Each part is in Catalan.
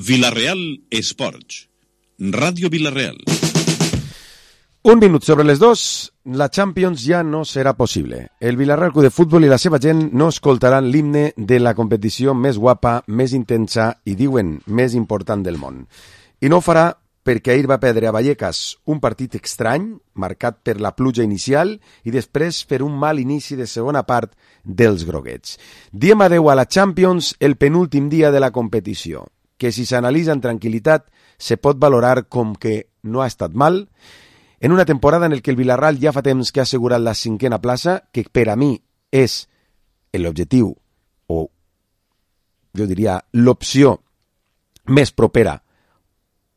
Vila-real Esports. Ràdio Vila-real. Un minut sobre les 2, la Champions ja no serà possible. El Vila-real Club de Futbol i la seva gent no escoltaran l'himne de la competició més guapa, més intensa i, diuen, més important del món. I no ho farà perquè ahir va perdre a Vallecas un partit estrany, marcat per la pluja inicial i després per un mal inici de segona part dels groguets. Diem adeu a la Champions el penúltim dia de la competició, que si s'analitza en tranquil·litat se pot valorar com que no ha estat mal, en una temporada en el que el Villarreal ja fa temps que ha assegurat la 5a plaça, que per a mi és l'objectiu, o jo diria l'opció més propera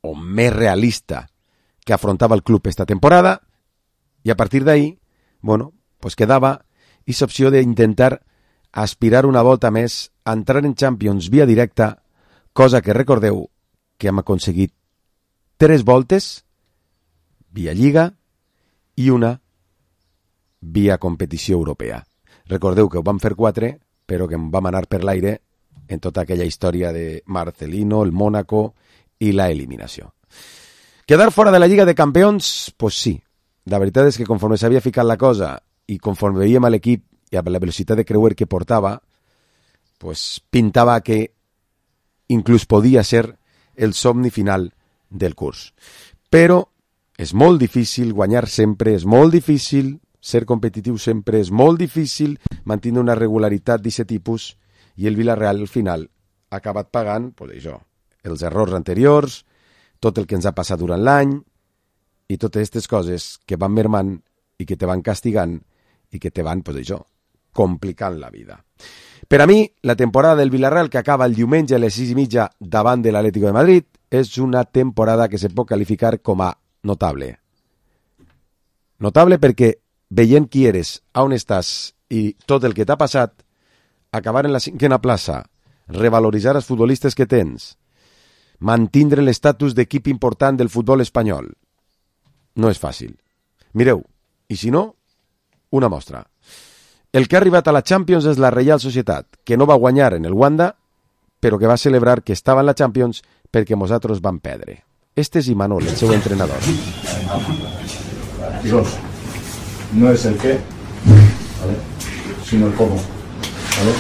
o més realista que afrontava el club esta temporada, i a partir d'ahí, bueno, pues quedava aquesta opció d'intentar aspirar una volta més a entrar en Champions via directa, cosa que recordeu que hem aconseguit 3 voltes via Lliga i una via competició europea. Recordeu que ho vam fer 4, però que em vam anar per l'aire en tota aquella història de Marcelino, el Mónaco i la eliminació. Quedar fora de la Lliga de Campions? Pues sí. La veritat és que conforme s'havia ficat la cosa i conforme veiem a l'equip i a la velocitat de creuer que portava, pues pintava que inclús podia ser el somni final del curs. Però és molt difícil guanyar sempre, és molt difícil ser competitiu sempre, és molt difícil mantenir una regularitat d'aquest tipus, i el Villarreal al final ha acabat pagant, pues això, els errors anteriors, tot el que ens ha passat durant l'any i totes aquestes coses que van mermant i que te van castigant i que te van, pues això, complicant la vida. Per a mi, la temporada del Villarreal, que acaba el diumenge a les 6:30 davant de l'Atlético de Madrid, és una temporada que se pot qualificar com a notable. Notable perquè, veient qui eres, on estàs i tot el que t'ha passat, acabar en la 5a plaça, revaloritzar els futbolistes que tens, mantindre l'estatus d'equip important del futbol espanyol, no és fàcil. Mireu, i si no, una mostra. El que ha arribat a la Champions és la Reial Societat, que no va guanyar en el Wanda, però que va celebrar que estava en la Champions perquè nosaltres vam perdre. Este és Imanol, el seu entrenador. Chicos, no es el qué, ¿vale?, sino el cómo, ¿vale?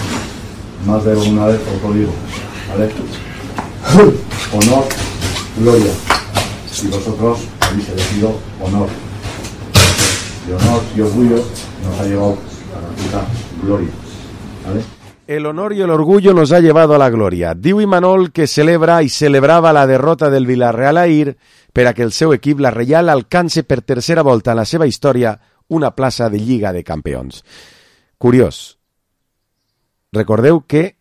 Más de una vez os lo digo, ¿vale? Honor, gloria. Y vosotros habéis elegido honor. Y honor y orgullo nos ha llevado a la puta gloria, ¿vale? El honor y el orgullo nos ha llevado a la gloria. Diu Imanol que celebra i celebrava la derrota del Villarreal ahir per a que el seu equip, la Reial, alcance per tercera volta en la seva història una plaça de Lliga de Campions. Curiós. Recordeu que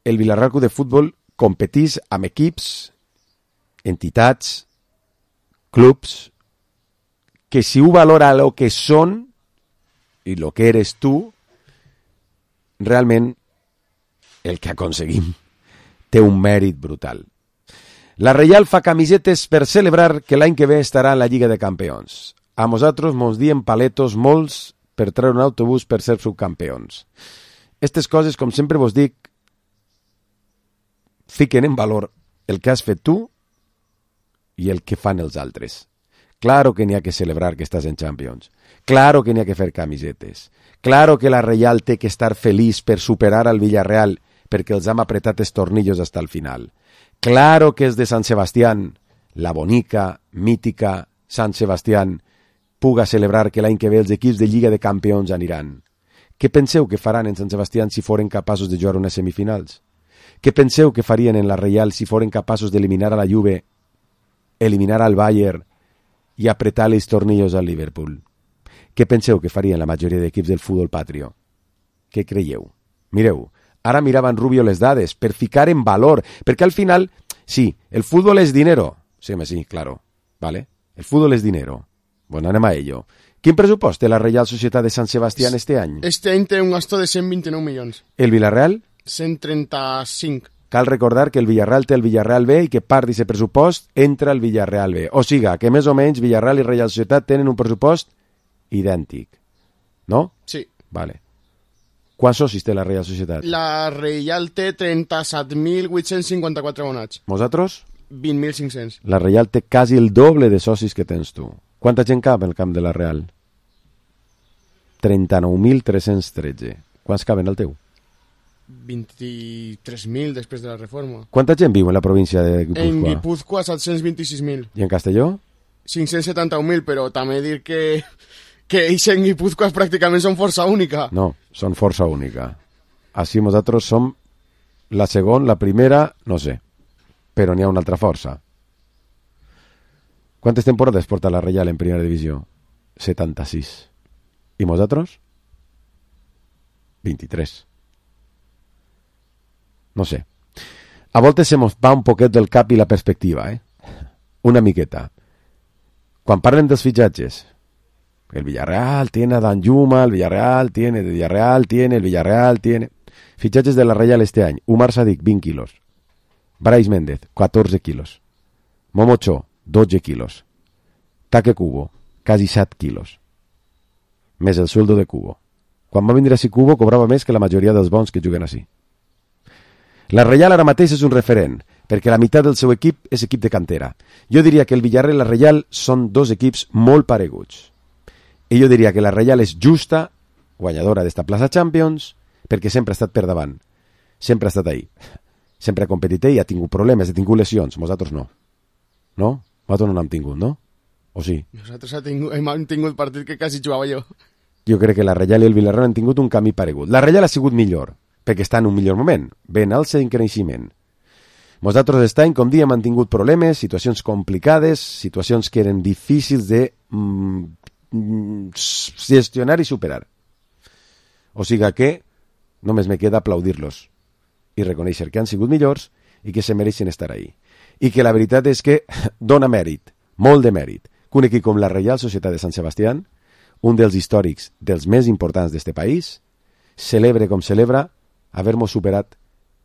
el Villarreal Club de Futbol competís amb equips, entitats, clubs, que si ho valora lo que són i lo que eres tu, realment el que aconseguim té un mèrit brutal. La Reial fa camisetes per celebrar que l'any que ve estarà en la Lliga de Campions. A nosaltres mos diem paletos molts per treure un autobús per ser subcampions. Aquestes coses, com sempre vos dic, fiquen en valor el que has fet tu i el que fan els altres. Claro que n'hi ha que celebrar que estàs en Champions. Claro que n'hi ha que fer camisetes. Claro que la Reial té que estar feliç per superar al Villarreal perquè els hem apretat els tornillos hasta el final. Claro que és de Sant Sebastián, la bonica, mítica Sant Sebastián, puga celebrar que l'any que ve els equips de Lliga de Campions aniran. Què penseu que faran en Sant Sebastián si foren capaços de jugar unes semifinals? Què penseu que farien en la Reial si foren capaços d'eliminar a la Juve, eliminar al Bayern i apretar els tornillos al Liverpool? Què penseu que farien la majoria d'equips del futbol patrio? Què creieu? Mireu, ara miraven Rubio les dades per ficar en valor, perquè al final, sí, el futbol és dinero. Sí, claro, ¿vale? El futbol és dinero. Bueno, anem a ello. Quin pressupost té la Reial Societat de Sant Sebastián este any? Este any té un gasto de 129 milions. El Villarreal? 135. Cal recordar que el Villarreal té el Villarreal B i que part d'aquest pressupost entra el Villarreal B. O siga, que més o menys Villarreal i Reial Societat tenen un pressupost idèntic. No? Sí. Vale. Quants socis té la Reial Societat? La Reial té 37.854 abonats. Vosaltres? 20.500. La Reial té quasi el doble de socis que tens tu. Quanta gent cap en el camp de la Real? 39.313. Quants caben al teu? 23.000 després de la reforma. Quanta gent viu en la província de Guipúzcoa? En Guipúzcoa 726.000. I en Castelló? 571.000, però també dir que ells en Guipúzcoa pràcticament són força única. No, són força única. Així nosaltres som la segona, la primera, no sé, però n'hi ha una altra força. Quantes temporades porta la Reial en primera divisió? 76. I nosaltres? 23. No sé. A voltes se mos va un poquet del cap i la perspectiva, Una miqueta. Quan parlen dels fitxatges, el Villarreal tiene a Danjuma, el Villarreal tiene, el Villarreal tiene... Fitxatges de la Reial este any. Umar Sadik, 20 quilos. Brais Méndez, 14 quilos. Momocho, 12 quilos. Taque Cubo, quasi 7 quilos. Més el sueldo de Cubo. Quan va vindre així Cubo cobrava més que la majoria dels bons que juguen així. La Reial ara mateix és un referent, perquè la meitat del seu equip és equip de cantera. Jo diria que el Villarreal i la Reial són dos equips molt pareguts. I jo diria que la Reial és justa, guanyadora d'esta plaça Champions, perquè sempre ha estat per davant. Sempre ha estat ahí. Sempre ha competit i ha tingut problemes, ha tingut lesions. Nosaltres no. No? Nosaltres no n'hem tingut, no? O sí? Nosaltres hem tingut partit que quasi jugava jo. Jo crec que la Reial i el Villarreal han tingut un camí paregut. La Reial ha sigut millor, perquè està en un millor moment, ben alça en creixement. Nosaltres aquest any, com diem, han tingut problemes, situacions complicades, situacions que eren difícils de gestionar i superar. O sigui que només me queda aplaudir-los i reconèixer que han sigut millors i que se mereixen estar ahí. I que la veritat és que dona mèrit, molt de mèrit, que un equip com la Reial Societat de Sant Sebastián, un dels històrics dels més importants d'este país, celebre com celebra haver-nos superat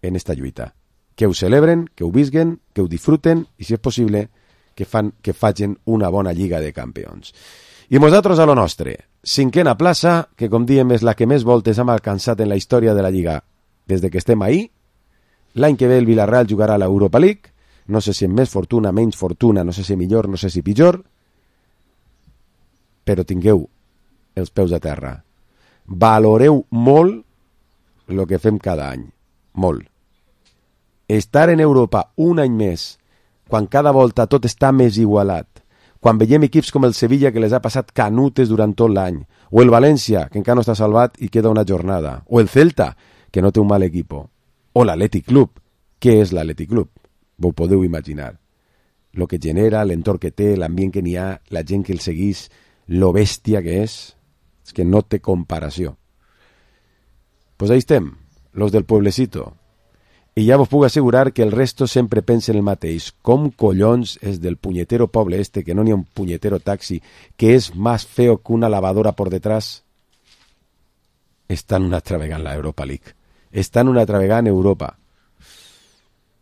en esta lluita. Que ho celebren, que ho visquen, que ho disfruten i, si és possible, que facin una bona Lliga de Campions. I nosaltres a lo nostre, cinquena plaça, que com diem és la que més voltes hem alcançat en la història de la Lliga des de que estem ahí. L'any que ve el Villarreal jugarà a l'Europa League, no sé si amb més fortuna, menys fortuna, no sé si millor, no sé si pitjor, però tingueu els peus a terra. Valoreu molt el que fem cada any, molt. Estar en Europa un any més, quan cada volta tot està més igualat, quan veiem equips com el Sevilla que les ha passat canutes durant tot l'any, o el València, que encara no està salvat i queda una jornada, o el Celta, que no té un mal equipo, o l'Atlètic Club. Què és l'Atlètic Club? Vos podeu imaginar. Lo que genera, l'entorn que té, l'ambient que n'hi ha, la gent que el seguís, lo bèstia que és que no té comparació. Pues ahí estem, los del pueblecito. I ja vos puc assegurar que el resto sempre pensen el mateix. Com collons és del punyetero poble este, que no n'hi ha un punyetero taxi, que és més feo que una lavadora por detrás? Estan una altra vegada en la Europa League. Estan una altra vegada en Europa.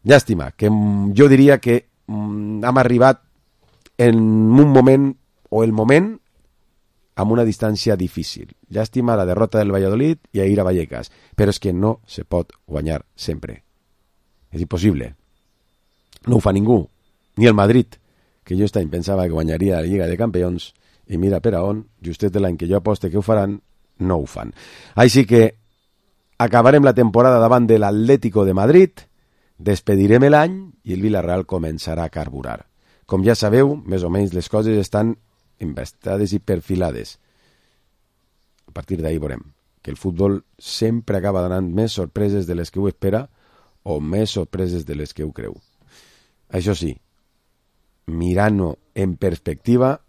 Llàstima, que jo diria que hem arribat en un moment, o el moment, amb una distància difícil. Llàstima la derrota del Valladolid i ahir a Vallecas, però és que no se pot guanyar sempre. És impossible. No ho fa ningú, ni el Madrid, que jo aquest any pensava que guanyaria la Lliga de Campions, i mira per a on, justet de l'any que jo aposte que ho faran, no ho fan. Així que acabarem la temporada davant de l'Atlético de Madrid, despedirem l'any i el Villarreal començarà a carburar. Com ja sabeu, més o menys les coses estan embastades i perfilades. A partir d'ahir veurem que el futbol sempre acaba donant més sorpreses de les que ho espera o més sorpreses de les que ho creu. Això sí, mirant-ho en perspectiva,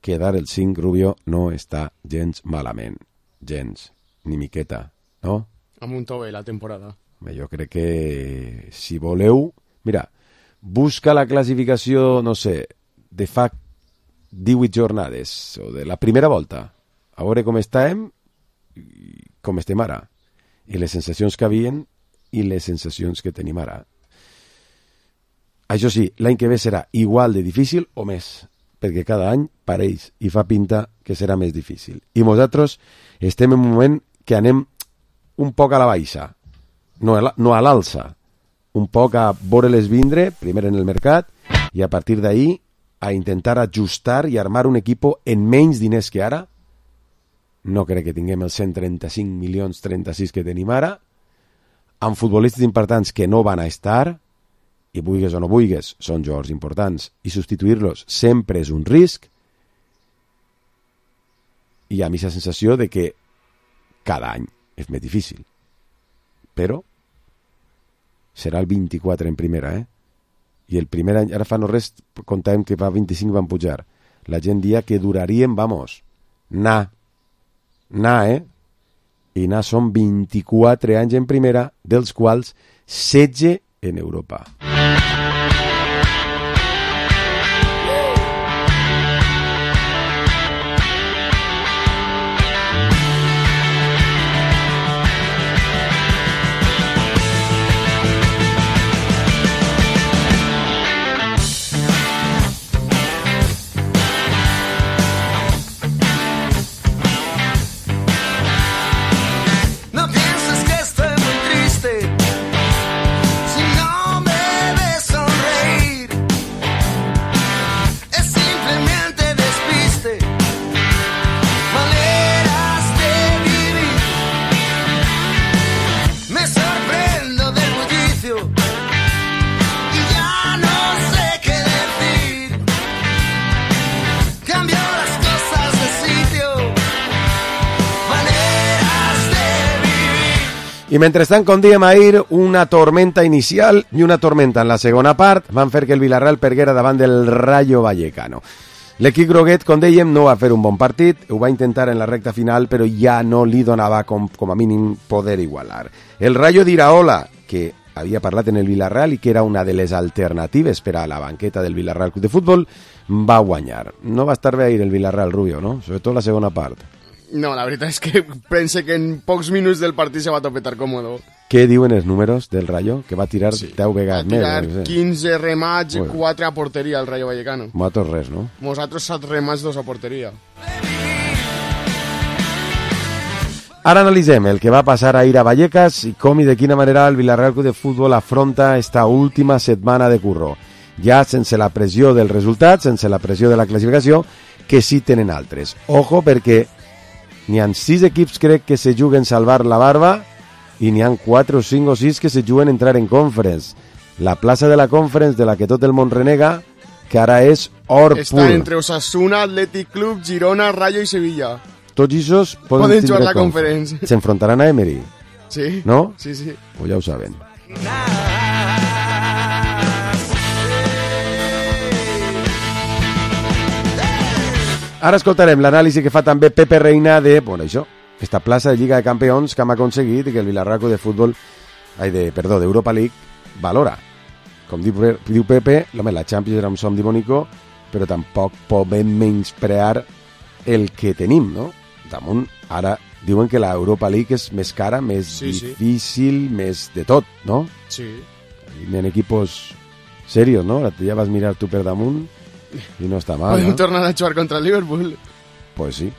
quedar el 5 Rubio no està gens malament. Gens, ni miqueta, no? Amb un to bé la temporada. Jo crec que si voleu... Mira, busca la classificació, no sé, de fa 18 jornades, o de la primera volta, a veure com estàvem i com estem ara, i les sensacions que havien i les sensacions que tenim ara. Això sí, l'any que ve serà igual de difícil o més, perquè cada any pareix i fa pinta que serà més difícil. I nosaltres estem en un moment que anem un poc a la baixa, no a l'alça, un poc a veure-les vindre, primer en el mercat, i a partir d'ahí a intentar ajustar i armar un equipo en menys diners que ara. No crec que tinguem els 135 milions 36 que tenim ara, amb futbolistes importants que no van a estar, i vulgues o no vulgues, són jugadors importants, i substituir-los sempre és un risc, i a mi la sensació de que cada any és més difícil. Però serà el 24 en primera, I el primer any, ara fa no res, comptàvem que fa 25 van pujar. La gent dia que duraríem, vamos, anar, I anar són 24 anys en primera, dels quals 16 en Europa. I mentrestant, com diem ahir, una tormenta inicial i una tormenta en la segona part van fer que el Villarreal perguera davant del Rayo Vallecano. L'equip groguet, com dèiem, no va fer un bon partit, ho va intentar en la recta final, però ja no li donava com a mínim poder igualar. El Rayo d'Iraola, que havia parlat en el Villarreal i que era una de les alternatives per a la banqueta del Villarreal Club de Futbol, va guanyar. No va estar bé ahir el Villarreal, Rubio, no? Sobretot la segona part. No, la veritat és que pense que en pocs minuts del partit se va topetar còmodo. Què diuen els números del Rayo? Que va tirar 10 vegades més. Va tirar 15 remats i 4 a porteria el Rayo Vallecano. Nosaltres res, no? Nosaltres 7 remats, 2 a porteria. Ara analitzem el que va passar ahir a Vallecas i com i de quina manera el Villarreal Club de Futbol afronta esta última setmana de curro. Ja sense la pressió del resultat, sense la pressió de la classificació, que sí tenen altres. Ojo, perquè n'hi ha 6 equips, crec, que se juguen salvar la barba i n'hi ha 4 o 5 o 6 que se juguen entrar en Conference. La plaça de la Conference, de la que tot el món renega, que ara és or pur. Està entre Osasuna, Athletic Club, Girona, Rayo i Sevilla. Tots aquests poden jugar la Conference. S'enfrontaran a Emery. Sí. No? Sí, sí. Pues ja ho saben. Ara escoltarem l'anàlisi que fa també Pepe Reina de, bueno, això, esta plaça de Lliga de Campions que hem aconseguit i que el Villarreal de Futbol, d'Europa League, valora. Com diu Pepe, la Champions era un somni bonico, però tampoc podem menysprear el que tenim, no? Damunt, ara diuen que l'Europa League és més cara, més difícil, més de tot, no? Sí. Hi ha equipos serios, no? Ja vas mirar tu per damunt i no està mal, Podem ¿no? tornar a jugar contra el Liverpool. Pues sí.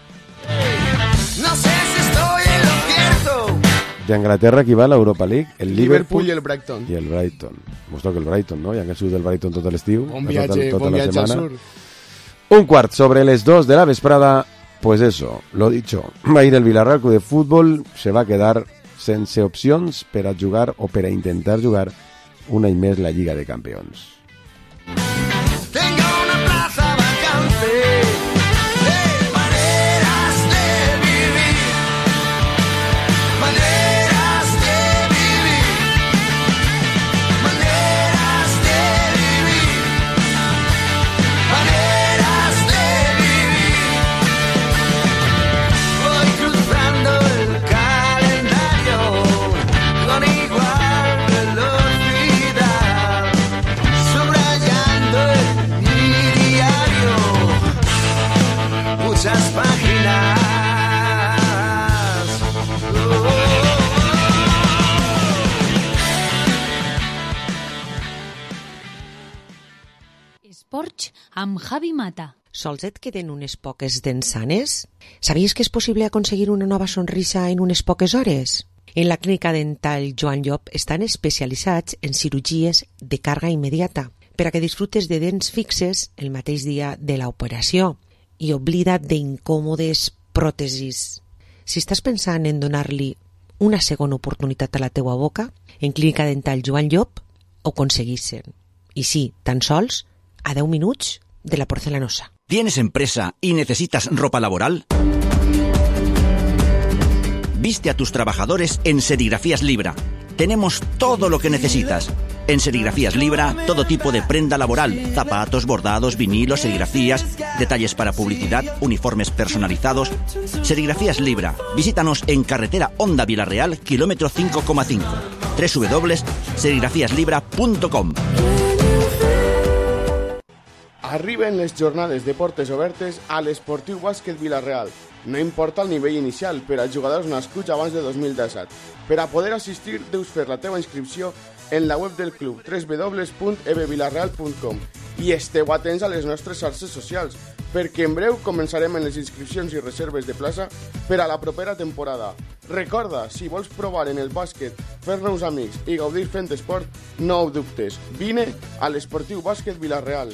No sé si estoy en lo cierto. De Anglaterra qui va a l'Europa League? El Liverpool i el Brighton. I el Brighton. Mos toca el Brighton, no? Ja que sigut del Brighton tot l'estiu. Bon viatge al sur. Un quart sobre les 2 de la vesprada. Pues eso, lo dicho. Va a ir el Villarreal Club de Futbol, se va a quedar sense opcions per a jugar o per a intentar jugar un any més la Lliga de Campions. Tengo una plaza vacante de maneras de vivir. Maneras de vivir. Maneras de vivir. Maneras de vivir. Voy cruzando el calendario con igual velocidad, subrayando en mi diario muchas páginas. Esports amb Javi Mata. Sols et queden unes poques dents sanes? Sabies que és possible aconseguir una nova sonrisa en unes poques hores? En la clínica dental Joan Llop estan especialitzats en cirurgies de càrrega immediata per a que disfrutes de dents fixes el mateix dia de l'operació i oblida't d'incòmodes pròtesis. Si estàs pensant en donar-li una segona oportunitat a la teua boca, en clínica dental Joan Llop ho aconseguissin. I sí, tan sols a 10 minuts de la porcelanosa. ¿Tienes empresa y necesitas ropa laboral? Viste a tus trabajadores en Serigrafías Libra. Tenemos todo lo que necesitas. En Serigrafías Libra, todo tipo de prenda laboral, zapatos, bordados, vinilos, serigrafías, detalles para publicidad, uniformes personalizados. Serigrafías Libra. Visítanos en carretera Onda Vilareal, kilómetro 5,5. www.serigrafiaslibra.com. Arriben les jornades de portes obertes a l'Esportiu Bàsquet Vila-real. No importa el nivell inicial per als jugadors nascuts abans de 2017. Per a poder assistir, deus fer la teva inscripció en la web del club www.ebvilarreal.com i esteu atents a les nostres xarxes socials, perquè en breu començarem en les inscripcions i reserves de plaça per a la propera temporada. Recorda, si vols provar en el bàsquet, fer nous amics i gaudir fent esport, no ho dubtes. Vine a l'Esportiu Bàsquet Vila-real.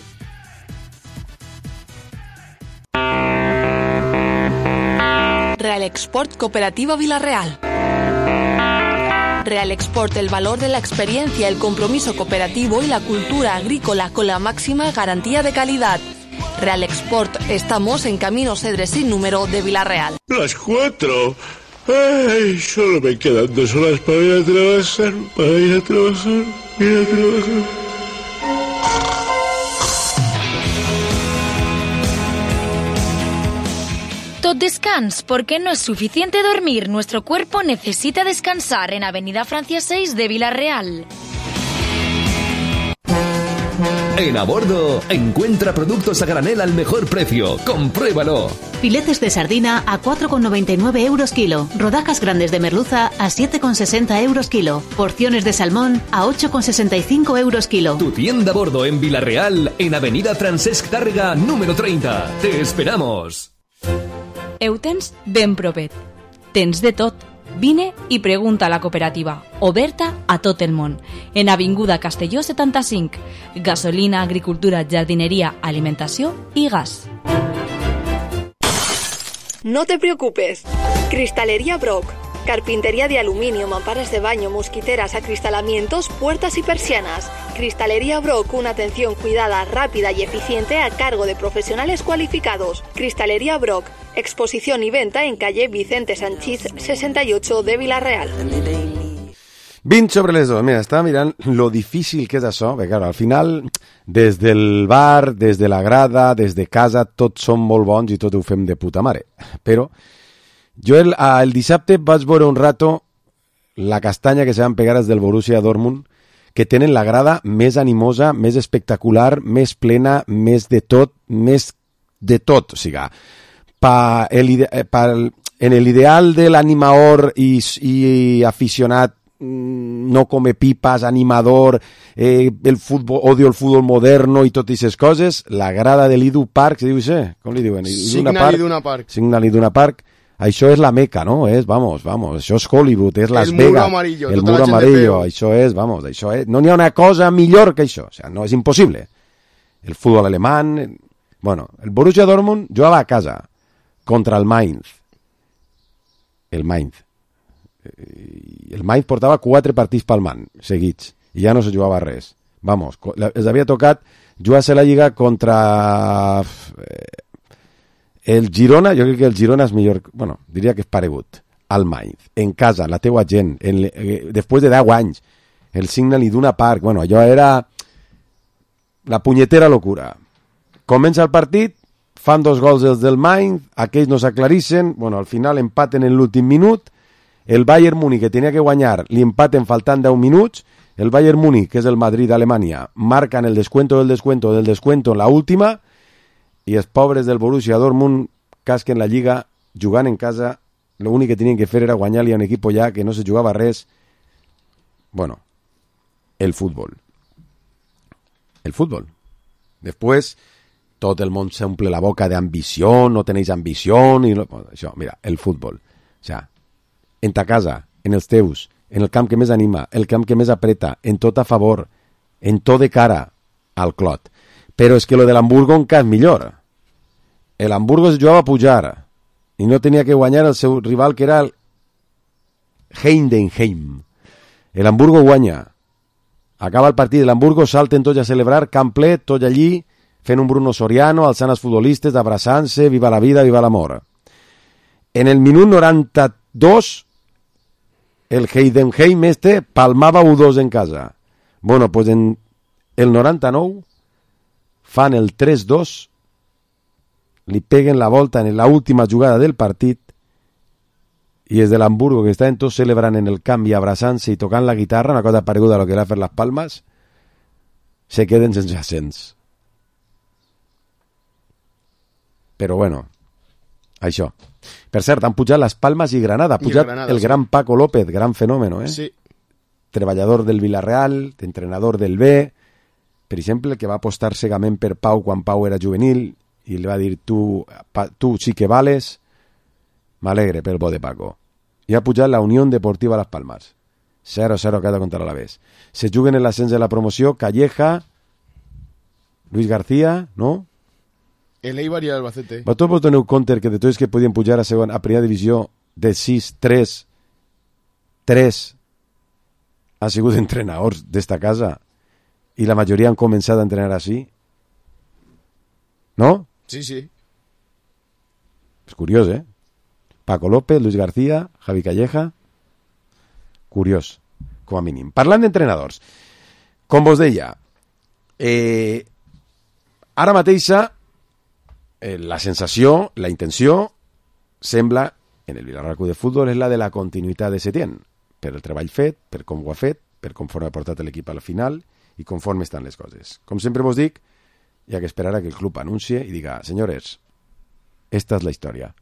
Real Export Cooperativa Vila-real. Real Export, el valor de la experiencia, el compromiso cooperativo y la cultura agrícola con la máxima garantía de calidad. Real Export, estamos en Camino Cedres sin número de Vila-real. Las 4. Ay, solo me quedan 2 horas para ir a trabajar, Tot descans, porque no es suficiente dormir. Nuestro cuerpo necesita descansar en Avenida Francia 6 de Vila-real. En A Bordo, encuentra productos a granel al mejor precio. ¡Compruébalo! Filetes de sardina a 4,99 euros kilo. Rodajas grandes de merluza a 7,60 euros kilo. Porciones de salmón a 8,65 euros kilo. Tu tienda A Bordo en Vila-real, en Avenida Francesc Tàrrega, número 30. ¡Te esperamos! Ho tens ben propet. Tens de tot. Vine i pregunta a la cooperativa, oberta a tot el món. En Avinguda Castelló 75. Gasolina, agricultura, jardineria, alimentació i gas. No te preocupes. Cristalería Brock. Carpintería de aluminio, mamparas de baño, mosquiteras, acristalamientos, puertas y persianas. Cristalería Brock, una atención cuidada, rápida y eficiente a cargo de profesionales cualificados. Cristalería Brock, exposición y venta en calle Vicente Sanchís 68 de Vila-real. 20 sobre les 2. Mira, estava mirant lo difícil que és això, perquè claro, al final, des del bar, des de la grada, des de casa, tots som molt bons i tot ho fem de puta mare. Però jo el dissabte vaig veure un rato la castanya que se van pegar els del Borussia Dortmund, que tenen la grada més animosa, més espectacular, més plena, més de tot, o sigui, en l'ideal de l'animador i aficionat no come pipas, animador, el fútbol, odio el fútbol moderno i totes aquestes coses, la grada de l'Idu Park, se diu això? Com li diuen? Signal Iduna Park. Signal Iduna Park. Això és la Meca, no? Vamos, això és Hollywood, és Las Vegas. El muro amarillo, això és, no n'hi ha una cosa millor que això, o sea, no és impossible. El futbol alemán, bueno, el Borussia Dortmund jugava a casa contra el Mainz. El Mainz portava 4 partits palmant seguits i ja no se jugava res. Vamos, els havia tocat jugar-se la Lliga contra el Girona. Jo crec que el Girona és millor, bueno, diria que és paregut al Mainz, en casa, la teua gent, després de 10 anys, el Signal Iduna Park, bueno, allò era la punyetera locura. Comença el partit, fan 2 gols els del Mainz, aquells no s'aclarissen, bueno, al final empaten en l'últim minut, el Bayern Múnich, que tenia que guanyar, li empaten faltant 10 minuts, el Bayern Múnich, que és el Madrid d'Alemanya, marcan el descuento en la última, i els pobres del Borussia Dortmund casquen la Lliga jugant en casa. L'únic que tenien que fer era guanyar-li a un equip ja que no se jugava res. Bueno, el fútbol. Després, tot el món s'omple la boca d'ambició, no tenéis ambició, i això, mira, el fútbol. O sea, en ta casa, en els teus, en el camp que més anima, el camp que més apreta, en tot a favor, en tot de cara al Clot. Però és que lo de l'Hamburgo encara és millor. L'Hamburgo es jugava a pujar i no tenia que guanyar el seu rival, que era el Heidenheim. L'Hamburgo guanya. Acaba el partit de l'Hamburgo, salten tots a celebrar, camp ple, tot allí, fent un Bruno Soriano, alçant els futbolistes, abraçant-se, viva la vida, viva l'amor. En el minut 92, el Heidenheim palmava 1-2 en casa. Bueno, pues en el 99 fan el 3-2, li peguen la volta en la última jugada del partit i és de l'Hamburgo, que estaven tots celebrant en el camp i abraçant-se i tocant la guitarra, una cosa pareguda a lo que era fer les palmes, se queden sense ascens. Però bueno, això. Per cert, han pujat les Palmes i Granada. Ha pujat el gran Paco López, gran fenòmeno, Sí. Treballador del Villarreal, entrenador del B, per exemple, que va apostar cegament per Pau quan Pau era juvenil i li va dir, tu sí que vales. M'alegre pel bo de Paco. I ha pujat la Unió Deportiva Las Palmas. 0-0 cada contra l'Alavés. Se juguen en l'ascens de la promoció Calleja, Luis García, no? El Eibar i l'Albacete. Vosaltres vos doneu compte que de tots que podien pujar a primera divisió de 6, 3 ha sigut entrenadors d'esta casa i la majoria han començat a entrenar així? No? Sí, sí. És curiós, eh? Paco López, Luis García, Javi Calleja. Curiós, com a mínim. Parlant d'entrenadors, com vos deia, ara mateixa la sensació, la intenció, sembla, en el Villarreal Club de Futbol, és la de la continuïtat de Setién, per el treball fet, per com ho ha fet, per conforme ha portat l'equip a la final i conforme estan les coses. Com sempre vos dic, hi ha que esperar a que el club anuncie i diga, senyores, esta és la història.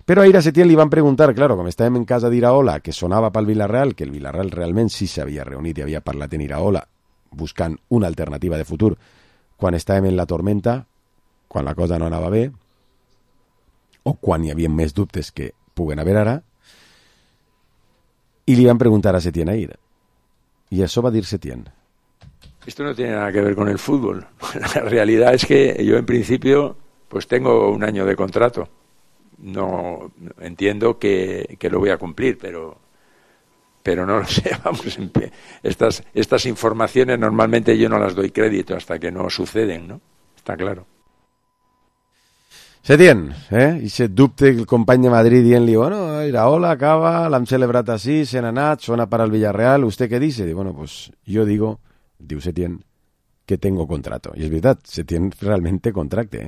Però ahir a Setién li van preguntar, claro, com estàvem en casa d'Iraola, que sonava pel Villarreal, que el Villarreal realment sí s'havia reunit i havia parlat en Iraola, buscant una alternativa de futur, quan estàvem en la tormenta, quan la cosa no anava bé, o quan hi havia més dubtes que puguen haver ara, y le iban a preguntar a Setién ahir. Y eso va a dir Setién. Esto no tiene nada que ver con el fútbol. La realidad es que yo en principio pues tengo un año de contrato. No entiendo que lo voy a cumplir, pero no lo sé. Vamos, estas informaciones normalmente yo no las doy crédito hasta que no suceden, ¿no? Está claro. Setién, i se dubte el company de Madrid dient-li, bueno, Iraola acaba, l'hem celebrat així, se n'ha anat, sona para el Villarreal, ¿usted qué dice? Bueno, pues yo digo, diu Setién, que tengo contrato. I és veritat, Setién realment té contracte,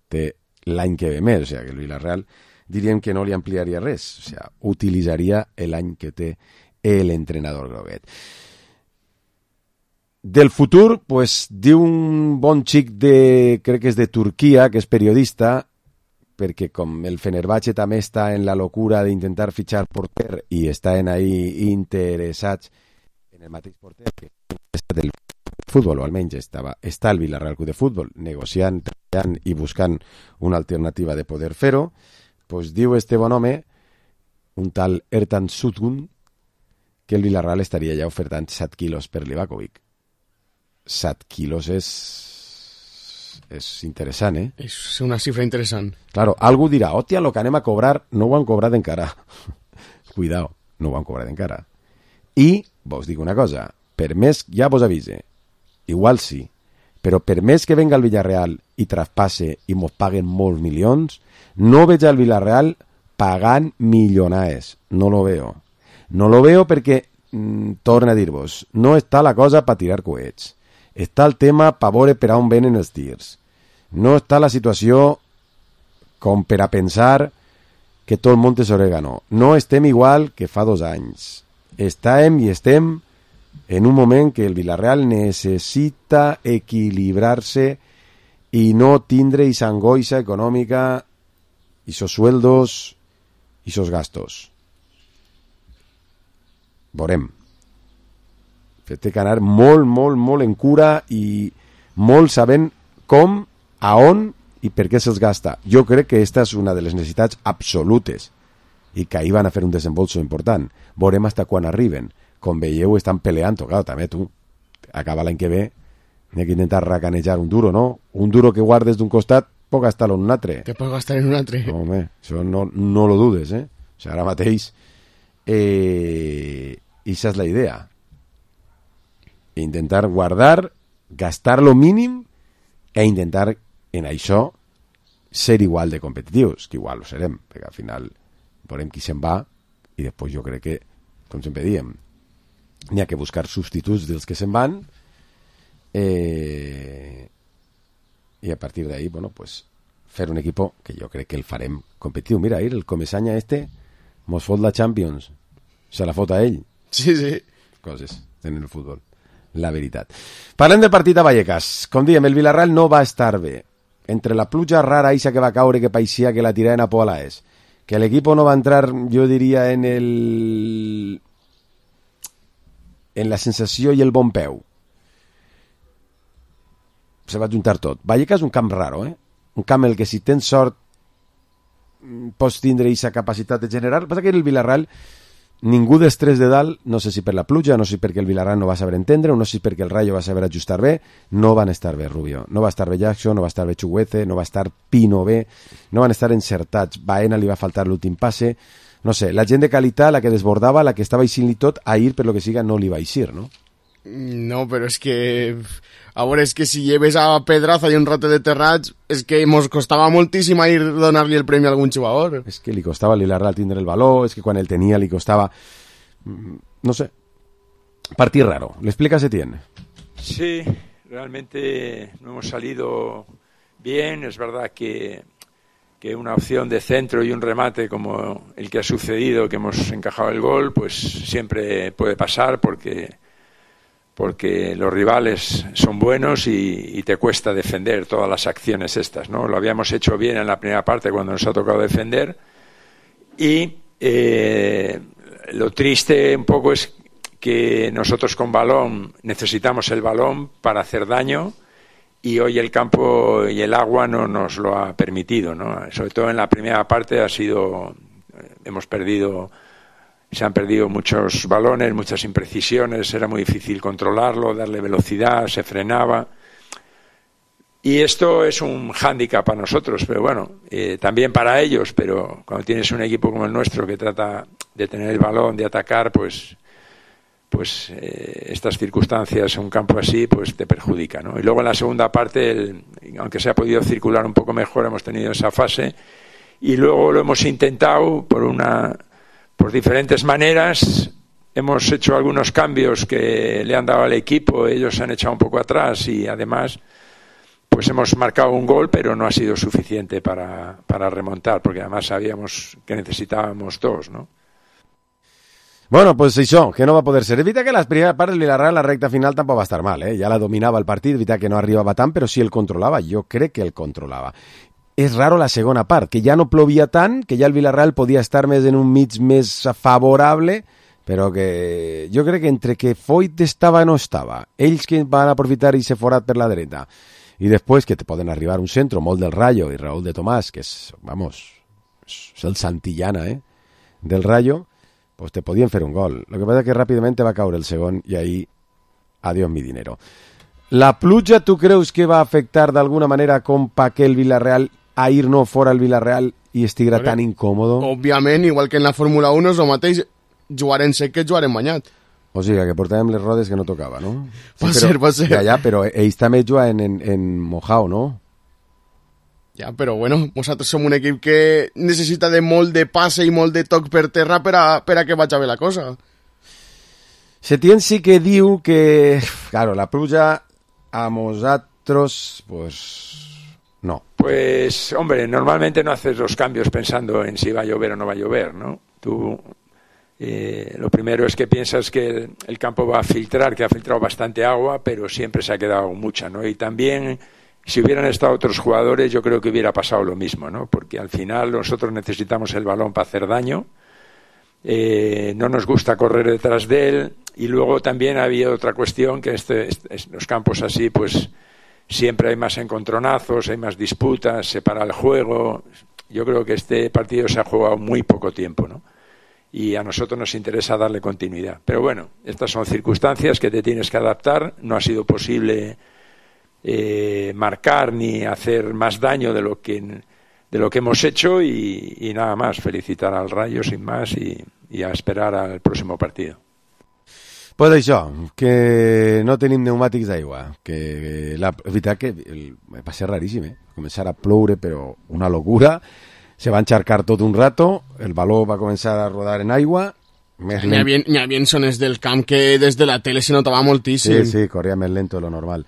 té l'any que ve més, o sea, que el Villarreal diríem que no li ampliaria res, o sea, utilitzaria l'any que té l'entrenador groguet. Del futur, pues, diu un bon xic de, crec que és de Turquia, que és periodista, perquè com el Fenerbahçe també està en la locura d'intentar fitxar porter i estan ahí interessats en el mateix porter que està del futbol, o almenys està el Villarreal Club de Futbol negociant, treballant i buscant una alternativa de poder fer-ho, pues diu este bon home, un tal Ertan Sutgun, que el Villarreal estaria ja ofertant 7 quilos per Livakovic. 7 quilos és interessant, eh? És una xifra interessant. Claro, algú dirà, hòstia, lo que anem a cobrar no ho han cobrat encara. Cuidao, no ho han cobrat encara. I, vos dic una cosa, per més, ja vos avise, igual sí, però per més que venga el Villarreal i traspasse i mos paguen molts milions, no veig al Villarreal pagant milionades. No lo veo. No lo veo perquè, torna a dir-vos, no està la cosa per tirar coets. Està el tema per veure per on venen els tirs. No està la situació com per a pensar que tot el món és orégano. No estem igual que fa 2 anys. Estàvem i estem en un moment que el Villarreal necessita equilibrar-se i no tindre esa angoixa econòmica, esos sueldos i esos gastos. Veurem. Té que anar molt en cura i molt sabent com, a on i per què se'ls gasta. Jo crec que aquesta és una de les necessitats absolutes i que ahir van a fer un desembolso important. Veurem hasta quan arriben. Com veieu, estan peleant, clar, també tu, acaba l'any que ve, n'hi ha que intentar racanejar un duro, no? Un duro que guardes d'un costat, pot gastar-lo en un altre. Te pots gastar en un altre. No, home, això no lo dudes, eh? O sigui, ara mateix, i això és la idea. Intentar guardar, gastar lo mínim e intentar en això ser igual de competitius, que igual ho serem, perquè al final veurem qui se'n va i després jo crec que, com sempre diem, n'hi ha que buscar substituts dels que se'n van i a partir d'ahí, bueno, pues fer un equipo que jo crec que el farem competitiu. Mira, ahir el Comesaña mos fot la Champions, se la fot a ell. Sí, sí. Coses tenen el futbol, la veritat. Parlem del partit a Vallecas. Com diem, el Villarreal no va estar bé. Entre la pluja rara eixa que va caure, que paixia que la tiraven a Polaes, que l'equipo no va entrar, jo diria, en la sensació i el bon peu. Se va juntar tot. Vallecas és un camp raro, un camp en el que si tens sort pots tindre aquesta capacitat de generar. El que passa que el Villarreal, ningú dels tres de dalt, no sé si per la pluja, no sé si perquè el Villarreal no va saber entendre, o no sé si perquè el Rayo va saber ajustar bé, no van estar bé, Rubio. No va estar bé Jackson, no va estar bé Chuguete, no va estar Pino bé, no van estar encertats. Baena li va faltar l'últim passe. No sé, la gent de qualitat, la que desbordava, la que estava eixint-li tot, ahir, per lo que siga, no li va eixir, no? No, però és que... A veure, és que si lleves a Pedraza i un rate de Terrats, és que mos costava moltíssim ir donar-li el premi a algun jugador. És que li costava a Villarreal tindre el valor, és que quan el tenia li costava... No sé. Partit raro. ¿Le explicas, Etienne? Sí, realmente no hemos salido bien. Es verdad que una opción de centro y un remate como el que ha sucedido, que hemos encajado el gol, pues siempre puede pasar porque los rivales son buenos y te cuesta defender todas las acciones estas, ¿no? Lo habíamos hecho bien en la primera parte cuando nos ha tocado defender y lo triste un poco es que nosotros con balón necesitamos el balón para hacer daño y hoy el campo y el agua no nos lo ha permitido, ¿no? Sobre todo en la primera parte se han perdido muchos balones, muchas imprecisiones, era muy difícil controlarlo, darle velocidad, se frenaba. Y esto es un hándicap para nosotros, pero bueno, también para ellos, pero cuando tienes un equipo como el nuestro que trata de tener el balón, de atacar, pues estas circunstancias, un campo así, pues te perjudica, ¿no? Y luego en la segunda parte, aunque se ha podido circular un poco mejor, hemos tenido esa fase y luego lo hemos intentado por diferentes maneras. Hemos hecho algunos cambios que le han dado al equipo, ellos se han echado un poco atrás y además pues hemos marcado un gol, pero no ha sido suficiente para remontar, porque además sabíamos que necesitábamos dos, ¿no? Bueno, pues això, que no va poder ser. És veritat que la primera part del Villarreal, la recta final tampoc va estar mal, ja la dominava el partit, és veritat que no arribava tant, però sí el controlava, jo crec que el controlava. És raro la segona part, que ja no plovia tant, que ja el Villarreal podia estar més en un mig més favorable, però que jo crec que entre que Foyt estava o no estava, ells que van aprofitar i se forat per la dreta, i després que te poden arribar un centre molt del Rayo i Raúl de Tomàs, que és, vamos, és el Santillana, del Rayo, pues te podien fer un gol. Lo que pasa es que ràpidament va caure el segon i ahí, adiós mi dinero. La pluja, tu creus que va afectar d'alguna manera com pa que el Villarreal ahir no fora el Villarreal i estiguera tan incòmodo? Òbviament, igual que en la Fórmula 1 és el mateix, jugarem sec que jugarem banyat. O sigui, que portàvem les rodes que no tocava, no? Sí, pot ser. Ja, però ells també juguen en mojao, no? Ja, però bueno, nosaltres som un equip que necessita de molt de passe i molt de toc per terra per a que vagi bé la cosa. Setién sí que diu que, claro, la pluja a nosaltres, pues no. Pues, hombre, normalmente no haces los cambios pensando en si va a llover o no va a llover, ¿no? Tú, lo primero es que piensas que el campo va a filtrar, que ha filtrado bastante agua, pero siempre se ha quedado mucha, ¿no? Y también, si hubieran estado otros jugadores, yo creo que hubiera pasado lo mismo, ¿no? Porque al final nosotros necesitamos el balón para hacer daño, no nos gusta correr detrás de él, y luego también había otra cuestión, que los campos así, pues siempre hay más encontronazos, hay más disputas, se para el juego, yo creo que este partido se ha jugado muy poco tiempo, ¿no? Y a nosotros nos interesa darle continuidad. Pero bueno, estas son circunstancias que te tienes que adaptar. No ha sido posible marcar ni hacer más daño de lo que hemos hecho y nada más. Felicitar al Rayo sin más y a esperar al próximo partido. Pues això, que no tenim pneumàtics d'aigua, que la veritat que va ser raríssim, començar a ploure, però una locura, se va encharcar tot un rato, el baló va començar a rodar en aigua, N'hi havia zones del camp que des de la tele se notava moltíssim. Sí, corria més lento de lo normal.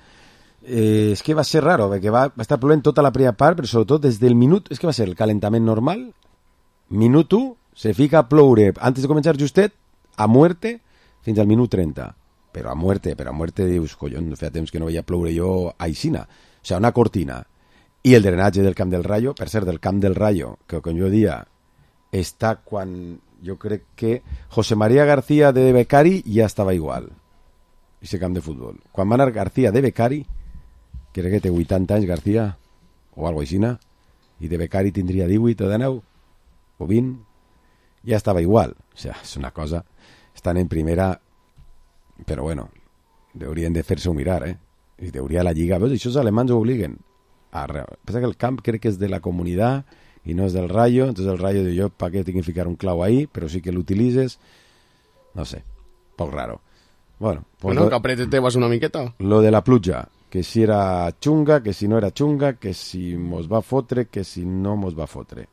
És que va ser raro, perquè va estar plovent tota la primera part, però sobretot des del minut, és que va ser el calentament normal, minut 1, se fica a ploure, antes de començar justet, a muerte, fins al minut 30, però a muerte dius, collons, feia temps que no veia ploure jo a Aixina, o sigui, una cortina, i el drenatge del Camp del Rayo, per cert, del Camp del Rayo, que com jo dia, està quan, jo crec que José María García de Becari ja estava igual, aquest camp de futbol. Quan va anar García de Becari, crec que té 80 anys García, o alguna aixina, i de Becari tindria 18 o 19, o 20, ja estava igual, o sigui, és una cosa... Estan en primera, però bueno, haurien de fer-se-ho mirar, i hauria la Lliga, veus, això els alemans ho obliguen. Pensa que el camp crec que és de la comunitat i no és del Rayo, entonces el Rayo diu jo, ¿para qué tinc que ficar un clau ahí? Però sí que l'utilitzes, no sé, poc raro. Bueno, que aprete vas una miqueta. Lo de la pluja, que si era xunga, que si no era xunga, que si mos va fotre, que si no mos va fotre.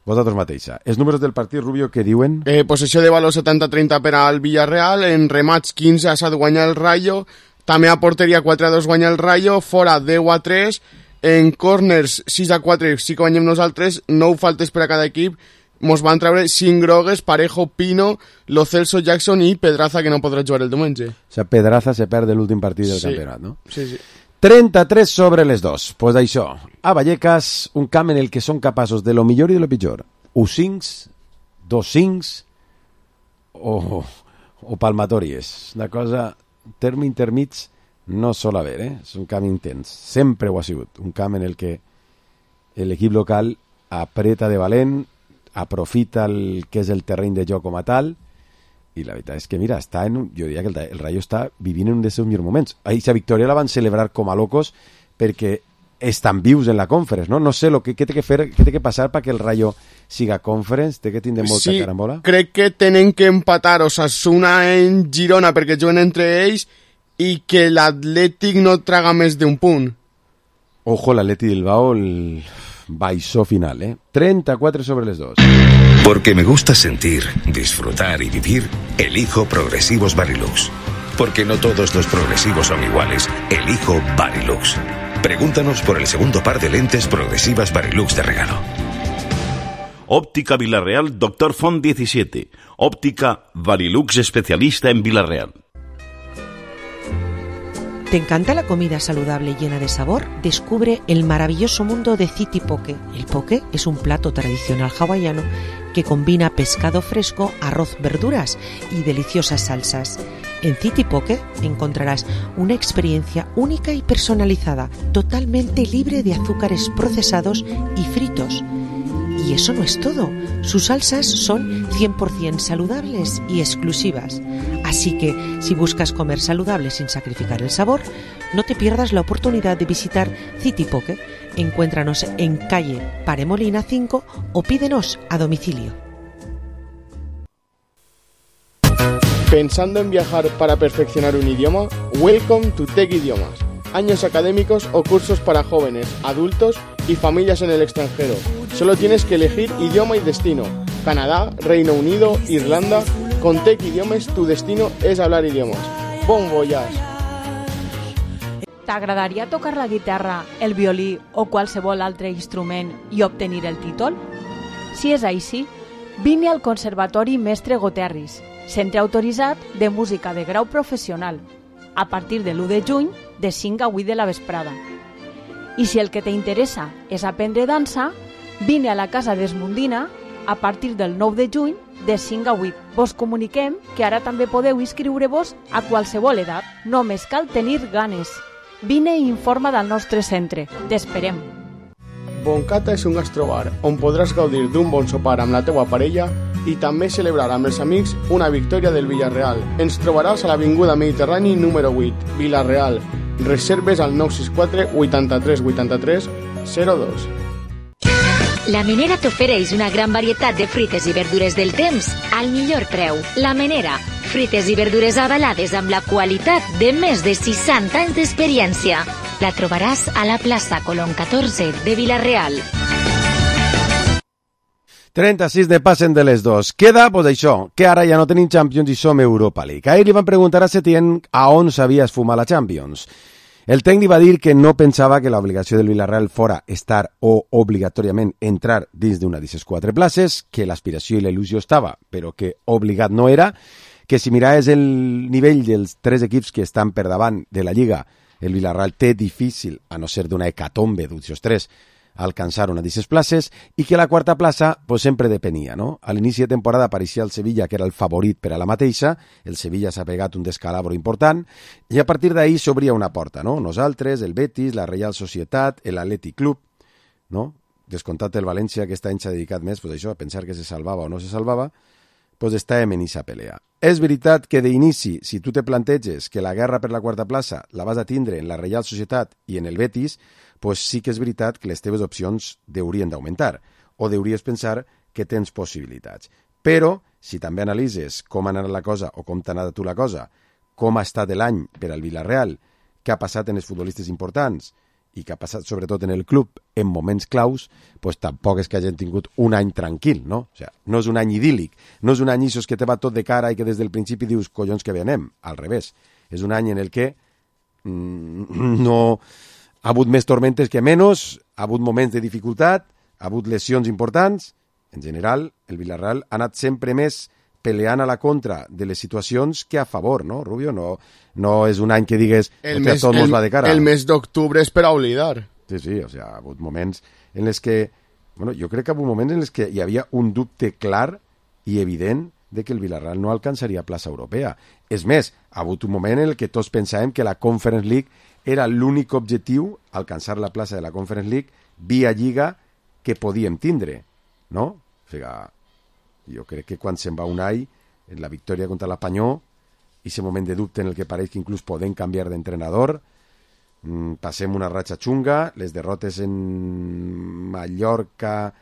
Vosaltres mateixa. Els números del partit, Rubio, què diuen? Possessió de valor 70-30 per al Villarreal, en remats 15-7 guanya el Rayo, també a porteria 4-2 guanya el Rayo, fora 10-3, en corners 6-4 sí que guanyem nosaltres, 9 faltes per a cada equip, mos van treure 5 grogues, Parejo, Pino, Lo Celso, Jackson i Pedraza, que no podrà jugar el diumenge. O sigui, Pedraza se perd l'últim partit del campionat, no? Sí, sí. 33 sobre les 2. Pues això, a Vallecas, un camp en el que són capaços de lo millor i de lo pitjor. 1-5, 2-5 o palmatòries. Una cosa, terme intermig no sol haver, és un camp intens. Sempre ho ha sigut. Un camp en el que l'equip local apreta de valent, aprofita el que és el terreny de joc com a tal, i la veritat és que, mira, jo diria que el Rayo està vivint en un dels seus millors moments. Aquesta victòria la van celebrar com a locos perquè estan vius en la Conference, no? No sé què té que fer, què té que passar perquè el Rayo siga Conference, té que tindre molta carambola. Sí, crec que tenen que empatar Osasuna en Girona perquè juguen entre ells i que l'Atlètic no traga més d'un punt. Ojo, l'Atlètic Bilbao, el baixó final, 34 sobre les 2. Porque me gusta sentir, disfrutar y vivir, elijo Progresivos Varilux. Porque no todos los progresivos son iguales, elijo Varilux. Pregúntanos por el segundo par de lentes progresivas Varilux de regalo. Óptica Villarreal Dr. Font 17. Óptica Varilux especialista en Villarreal. ¿Te encanta la comida saludable llena de sabor? Descubre el maravilloso mundo de City Poke. El poke es un plato tradicional hawaiano que combina pescado fresco, arroz, verduras y deliciosas salsas. En City Poke encontrarás una experiencia única y personalizada, totalmente libre de azúcares procesados y fritos. Y eso no es todo. Sus salsas son 100% saludables y exclusivas. Así que, si buscas comer saludable sin sacrificar el sabor, no te pierdas la oportunidad de visitar City Poke. Encuéntranos en calle Paremolina 5 o pídenos a domicilio. ¿Pensando en viajar para perfeccionar un idioma? Welcome to Tech Idiomas. Años académicos o cursos para jóvenes, adultos y familias en el extranjero. Solo tienes que elegir idioma y destino. Canadá, Reino Unido, Irlanda... Con Tech Idiomes, tu destino és hablar idiomes. Bon voyage! T'agradaria tocar la guitarra, el violí o qualsevol altre instrument i obtenir el títol? Si és així, vine al Conservatori Mestre Goterris, centre autoritzat de música de grau professional, a partir de l'1 de juny, de 5 a 8 de la vesprada. I si el que t'interessa és aprendre dansa, vine a la Casa d'Esmundina a partir del 9 de juny, de 5 a 8. Vos comuniquem que ara també podeu inscriure-vos a qualsevol edat. Només cal tenir ganes. Vine i informa del nostre centre. T'esperem. Boncata és un gastrobar on podràs gaudir d'un bon sopar amb la teua parella i també celebrar amb els amics una victòria del Villarreal. Ens trobaràs a l'Avinguda Mediterrani número 8, Villarreal. Reserves al 964 83 83 02. La Menera t'ofereix una gran varietat de fruites i verdures del temps al millor preu. La Menera, fruites i verdures avalades amb la qualitat de més de 60 anys d'experiència. La trobaràs a la plaça Colón 14 de Villarreal. 36 de passen de les dos. Queda, pues això, que ara ja no tenim Champions i som Europa League. Ahir li van preguntar a Setién a on s'havia esfumat la Champions. El tècnic va dir que no pensava que l'obligació del Villarreal fora estar o obligatòriament entrar dins d'una d'aquestes 4 places, que l'aspiració i la il·lusió estava, però que obligat no era, que si miraves el nivell dels 3 equips que estan per davant de la Lliga, el Villarreal té difícil, a no ser d'una hecatombe d'aquests 3, alcançar una d'aquestes places, i que la 4ª plaça pues, sempre depenia, no? A l'inici de temporada apareixia el Sevilla, que era el favorit per a la mateixa, el Sevilla s'ha pegat un descalabro important, i a partir d'ahir s'obria una porta, no? Nosaltres, el Betis, la Reial Societat, l'Atlètic Club, no? Descomptat el València, que aquest any s'ha dedicat més pues, això, a pensar que se salvava o no se salvava, pues estàvem en aquesta pelea. És veritat que d'inici, si tu te planteges que la guerra per la 4ª plaça la vas a tindre en la Reial Societat i en el Betis, pues sí que és veritat que les teves opcions haurien d'augmentar, o hauries pensar que tens possibilitats. Però, si també analitzes com ha anat la cosa, o com t'ha anat tu la cosa, com ha estat l'any per al Villarreal, què ha passat en els futbolistes importants, i que ha passat sobretot en el club en moments claus, pues tampoc és que hagin tingut un any tranquil, no? O sea, no és un any idíl·lic, no és un any que te va tot de cara i que des del principi dius, collons que bé anem, al revés. És un any en el que no ha hagut més tormentes que menys, ha hagut moments de dificultat, ha hagut lesions importants. En general, el Villarreal ha anat sempre més peleant a la contra de les situacions que a favor, no, Rubio? No és un any que digues tot mos va de cara. El mes d'octubre és per a oblidar. Sí, o sea, ha hagut moments en els que, bueno, jo crec que ha hagut moments en els que hi havia un dubte clar i evident de que el Villarreal no alcançaria plaça europea. És més, ha hagut un moment en el que tots pensàvem que la Conference League era l'únic objectiu, alcançar la plaça de la Conference League via Lliga que podíem tindre, no? O sigui, jo crec que quan se'n va Unai, en la victòria contra l'Espanyol, i aquest moment de dubte en el que pareix que inclús podem canviar d'entrenador, passem una ratxa xunga, les derrotes en Mallorca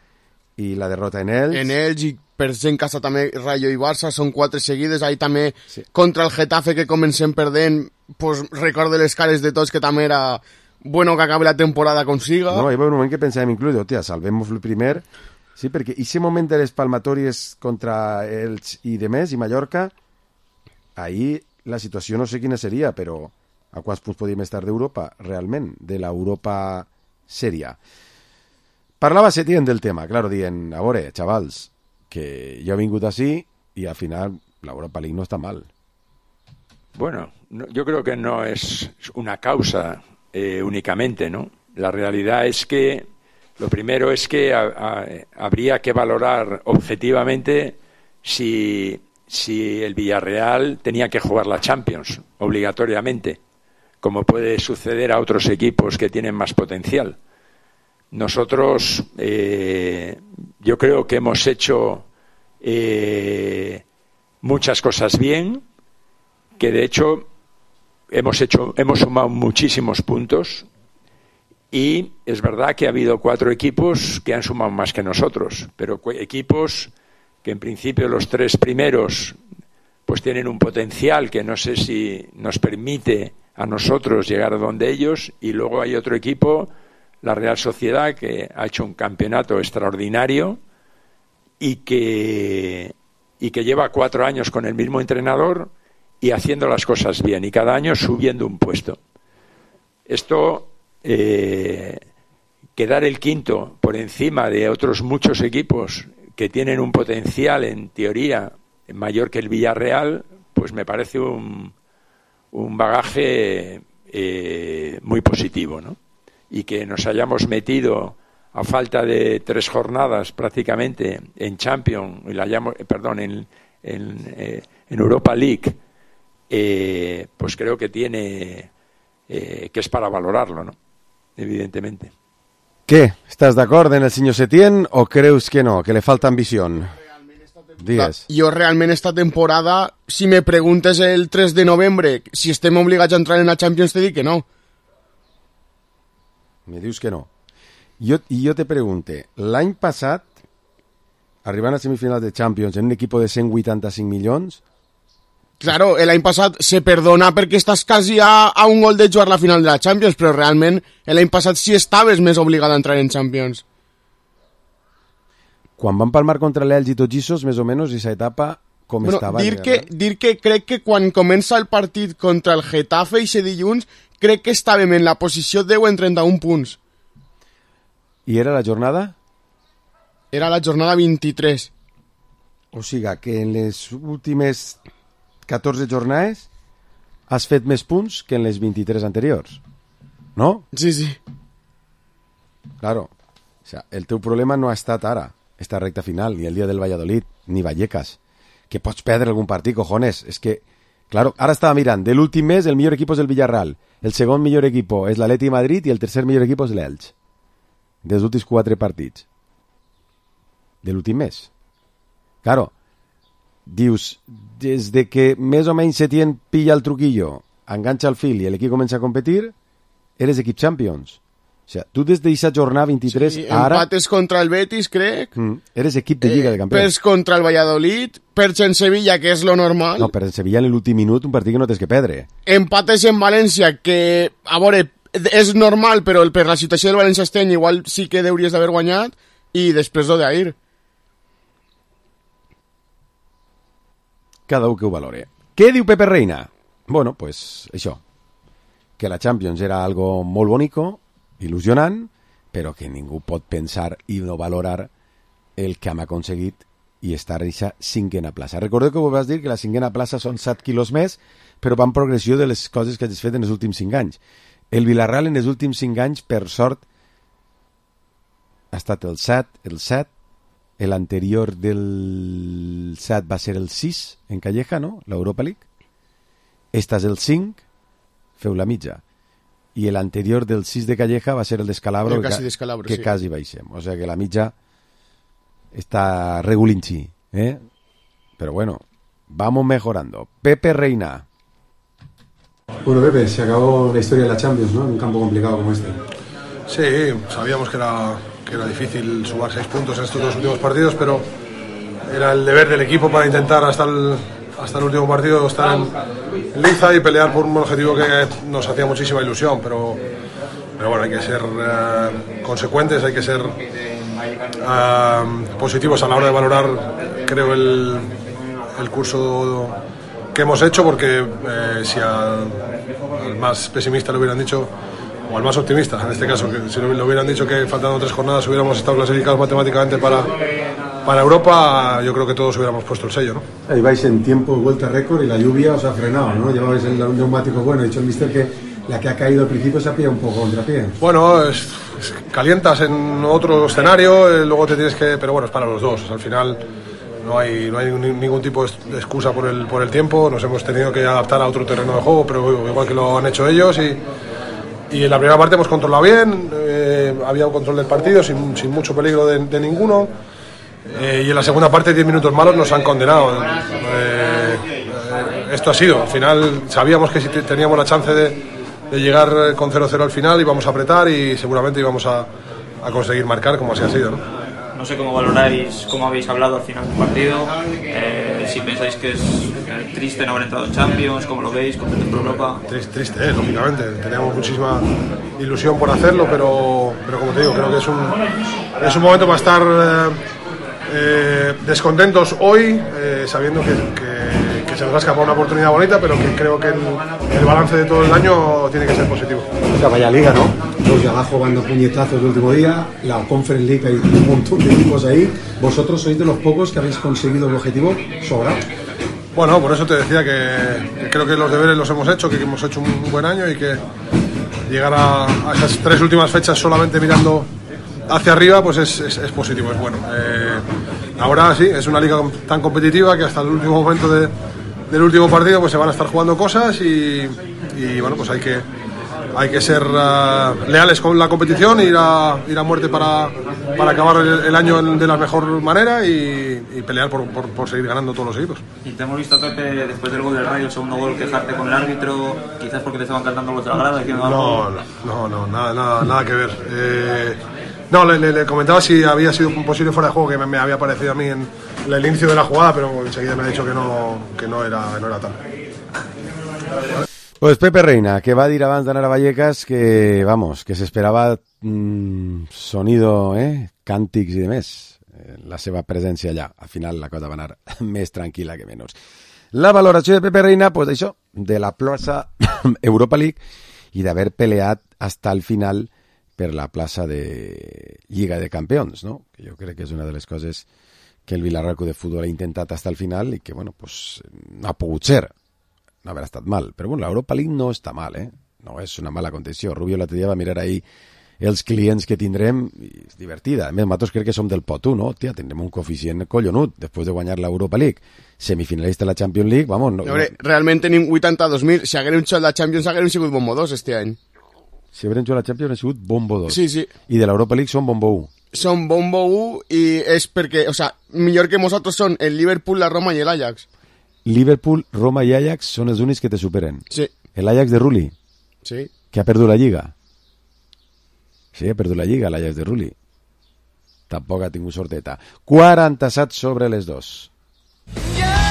i la derrota en Elx. En Elx i per ser en casa també Rayo i Barça, són 4 seguides, ahí també sí. Contra el Getafe que comencem perdent, pues recordo les cares de tots que també era bueno que acabi la temporada com siga. No, hi va un moment que pensàvem inclús, hòstia, salvem-nos el primer, sí, perquè aquest moment de les palmatòries contra Elx i demés, i Mallorca, ahir la situació no sé quina seria, però a quants punts podíem estar d'Europa, realment, de l'Europa sèria. Parlava Setién del tema, claro, dient, a veure, xavals, que jo he vingut així i al final l'Europa League no està mal. Bueno, yo creo que no es una causa únicamente, ¿no? La realidad es que lo primero es que habría que valorar objetivamente si el Villarreal tenía que jugar la Champions obligatoriamente, como puede suceder a otros equipos que tienen más potencial. Nosotros, yo creo que hemos hecho muchas cosas bien, que de hecho hemos sumado muchísimos puntos, y es verdad que ha habido 4 equipos que han sumado más que nosotros, pero equipos que en principio los 3 primeros pues tienen un potencial que no sé si nos permite a nosotros llegar a donde ellos, y luego hay otro equipo, la Real Sociedad, que ha hecho un campeonato extraordinario y que lleva 4 años con el mismo entrenador y haciendo las cosas bien, y cada año subiendo un puesto. Esto, quedar el quinto por encima de otros muchos equipos que tienen un potencial, en teoría, mayor que el Villarreal, pues me parece un bagaje muy positivo, ¿no? Y que nos hayamos metido a falta de 3 jornadas prácticamente en Champions, en Europa League, pues creo que tiene que es para valorarlo, ¿no? Evidentemente. Què? Estàs d'acord en el senyor Setién o creus que no, que li falta ambició? Digues. Jo realment esta temporada, si me preguntes el 3 de novembre si estem obligats a entrar en la Champions, te dic que no. Me dius que no. Jo te pregunte, l'any passat, arribant a semifinals de Champions en un equip de 185 milions... Claro, l'any passat se perdona perquè estàs quasi a un gol de jugar la final de la Champions, però realment l'any passat sí estaves més obligat a entrar en Champions. Quan van palmar contra l'Elx i tots Gissos, més o menys, aquesta etapa com estava? Dir que crec que quan comença el partit contra el Getafe i se dilluns, crec que estàvem en la posició 10 en 31 punts. I era la jornada? Era la jornada 23. O sigui que en les últimes 14 jornades has fet més punts que en les 23 anteriors. ¿No? Sí, sí. Claro. O sea, el teu problema no ha estat ara, esta recta final, ni el dia del Valladolid, ni Vallecas. Que pots perdre algun partit, cojones. És que, claro, ara estava mirant, de l'últim mes el millor equip és el Villarreal, el segon millor equip és l'Atleti Madrid i el tercer millor equip és l'Elx. Dels últims 4 partits. De l'últim mes. Claro, dius, des de que més o menys Setién pilla el truquillo, enganxa el fil i l'equip comença a competir, eres equip Champions. O sea, tu des d'aquesta jornada 23 sí, ara... Empates contra el Betis, crec. Eres equip de Lliga de Campions. Perds contra el Valladolid, perds en Sevilla, que és lo normal. No, però en Sevilla en l'últim minut un partit que no tens que perdre. Empates en València, que, a veure, és normal, però per la situació del València este any igual sí que hauries d'haver guanyat, i després lo d'ahir. Cada un que ho valore. Què diu Pepe Reina? Bueno, pues això, que la Champions era algo molt bonico, il·lusionant, però que ningú pot pensar i no valorar el que hem aconseguit i estar a aquesta 5a plaça. Recordeu que ho vas dir, que la 5a plaça són 7 quilos més, però va en progressió de les coses que has fet en els últims 5 anys. El Villarreal en els últims 5 anys, per sort, ha estat el 7, l'anterior del 7 va ser el 6 en Calleja, no? L'Europa League. Esta és el 5, feu la mitja. I l'anterior del 6 de Calleja va ser el d'Escalabro, que sí. quasi baixem. O sigui que la mitja està regulinchi, ¿eh? Pero bueno, vamos mejorando. Pepe Reina. Bueno, Pepe, se acabó la historia de la Champions, ¿no? En un campo complicado como este. Sí, sabíamos que era difícil sumar 6 puntos en estos 2 últimos partidos, pero era el deber del equipo para intentar hasta el último partido estar en liza y pelear por un objetivo que nos hacía muchísima ilusión, pero bueno, hay que ser consecuentes, hay que ser positivos a la hora de valorar, creo, el curso que hemos hecho, porque si al más pesimista le hubieran dicho, o al más optimista, en este caso, que si le hubieran dicho que faltando 3 jornadas hubiéramos estado clasificados matemáticamente para Europa, yo creo que todos hubiéramos puesto el sello, ¿no? Ahí vais en tiempo de vuelta récord y la lluvia os ha frenado, ¿no? Llevabais el neumático bueno, ha dicho el mister que la que ha caído al principio se ha pillado un poco contrapié. Bueno, calientas en otro escenario, luego te tienes que... Pero bueno, es para los dos, al final no hay ningún tipo de excusa por el tiempo, nos hemos tenido que adaptar a otro terreno de juego, pero igual que lo han hecho ellos, y en la primera parte hemos controlado bien, había un control del partido sin mucho peligro de ninguno, y en la segunda parte 10 minutos malos nos han condenado. Esto ha sido, al final sabíamos que si teníamos la chance de llegar con 0-0 al final íbamos a apretar y seguramente íbamos a conseguir marcar, como así ha sido, ¿no? No sé cómo valoráis, cómo habéis hablado al final del partido, si pensáis que es triste no haber entrado en Champions, cómo lo veis, contentos por Europa. Triste, lógicamente, teníamos muchísima ilusión por hacerlo, pero como te digo, creo que es un momento para estar descontentos hoy, sabiendo que se nos ha escapado una oportunidad bonita, pero que creo que el balance de todo el año tiene que ser positivo. O sea, vaya liga, ¿no? Los de abajo van dando puñetazos el último día, la Conference League hay un montón de equipos ahí. Vosotros sois de los pocos que habéis conseguido el objetivo sobrado. Bueno, por eso te decía que creo que los deberes los hemos hecho, que hemos hecho un buen año y que llegar a esas 3 últimas fechas solamente mirando hacia arriba, pues es positivo, es bueno. Ahora sí, es una liga tan competitiva que hasta el último momento del último partido pues se van a estar jugando cosas y bueno, pues hay que hay que ser leales con la competición, ir a muerte para acabar el año de la mejor manera y pelear por seguir ganando todos los equipos. Y te hemos visto, Pepe, después del gol del Rayo, el segundo gol, quejarte con el árbitro, quizás porque te estaban cantando los de la grada. No, nada que ver. Le comentaba si había sido un posible fuera de juego que me había parecido a mí en el inicio de la jugada, pero enseguida me ha dicho que no era tal. Pues Pepe Reina, que va dir abans d'anar a Vallecas que, vamos, que s'esperava sonido, càntics i demés, la seva presència allà. Al final la cosa va anar més tranquil·la que menys. La valoració de Pepe Reina, pues això, de la plaça Europa League i d'haver peleat hasta el final per la plaça de Lliga de Campions, ¿no? Que jo crec que és una de les coses que el Villarreal de Futbol ha intentat hasta el final i que, bueno, pues no ha pogut ser. No haver estat mal, però bueno, l'Europa League no està mal, no és una mala condició. Rubio l'altre dia va mirar ahí els clients que tindrem i és divertida. A més, nosaltres crec que som del pot 1, no? Hòstia, tindrem un coeficient collonut després de guanyar l'Europa League. Semifinalista de la Champions League, vamos... No, realment tenim 82.000. Si haguérem xuat la Champions, haguérem sigut bombo 2 este any. Si haguérem xuat la Champions, ha sigut bombo 2. Sí. I de l'Europa League són bombo 1. Són bombo 1 i és perquè, o sea, millor que nosaltres són el Liverpool, la Roma i l'Ajax. Liverpool, Roma i Ajax són els únics que te superen. Sí. L'Ajax de Rulli, sí. Que ha perdut la Lliga. Sí, ha perdut la Lliga, l'Ajax de Rulli. Tampoc ha tingut sorteta. 47 sobre les 2.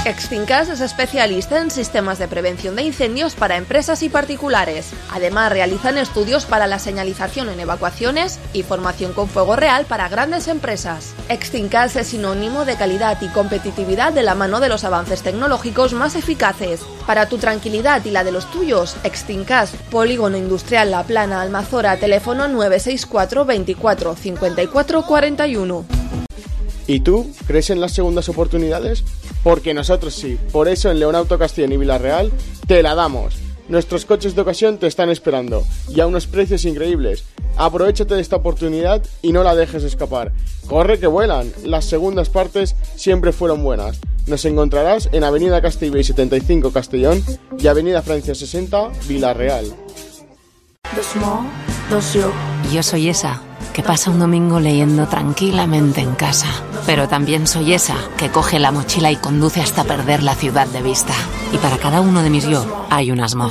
Extincas es especialista en sistemas de prevención de incendios para empresas y particulares. Además, realizan estudios para la señalización en evacuaciones y formación con fuego real para grandes empresas. Extincas es sinónimo de calidad y competitividad de la mano de los avances tecnológicos más eficaces. Para tu tranquilidad y la de los tuyos, Extincas, Polígono Industrial La Plana, Almazora, teléfono 964 24 54 41. ¿Y tú crees en las segundas oportunidades? Porque nosotros sí. Por eso en León Auto Castellón y Villarreal te la damos. Nuestros coches de ocasión te están esperando y a unos precios increíbles. Aprovechate de esta oportunidad y no la dejes escapar. Corre que vuelan. Las segundas partes siempre fueron buenas. Nos encontrarás en Avenida Castellbell 75 Castellón y Avenida Francia 60 Villarreal. Yo soy esa que pasa un domingo leyendo tranquilamente en casa. Pero también soy esa que coge la mochila y conduce hasta perder la ciudad de vista. Y para cada uno de mis yo hay un Asmo.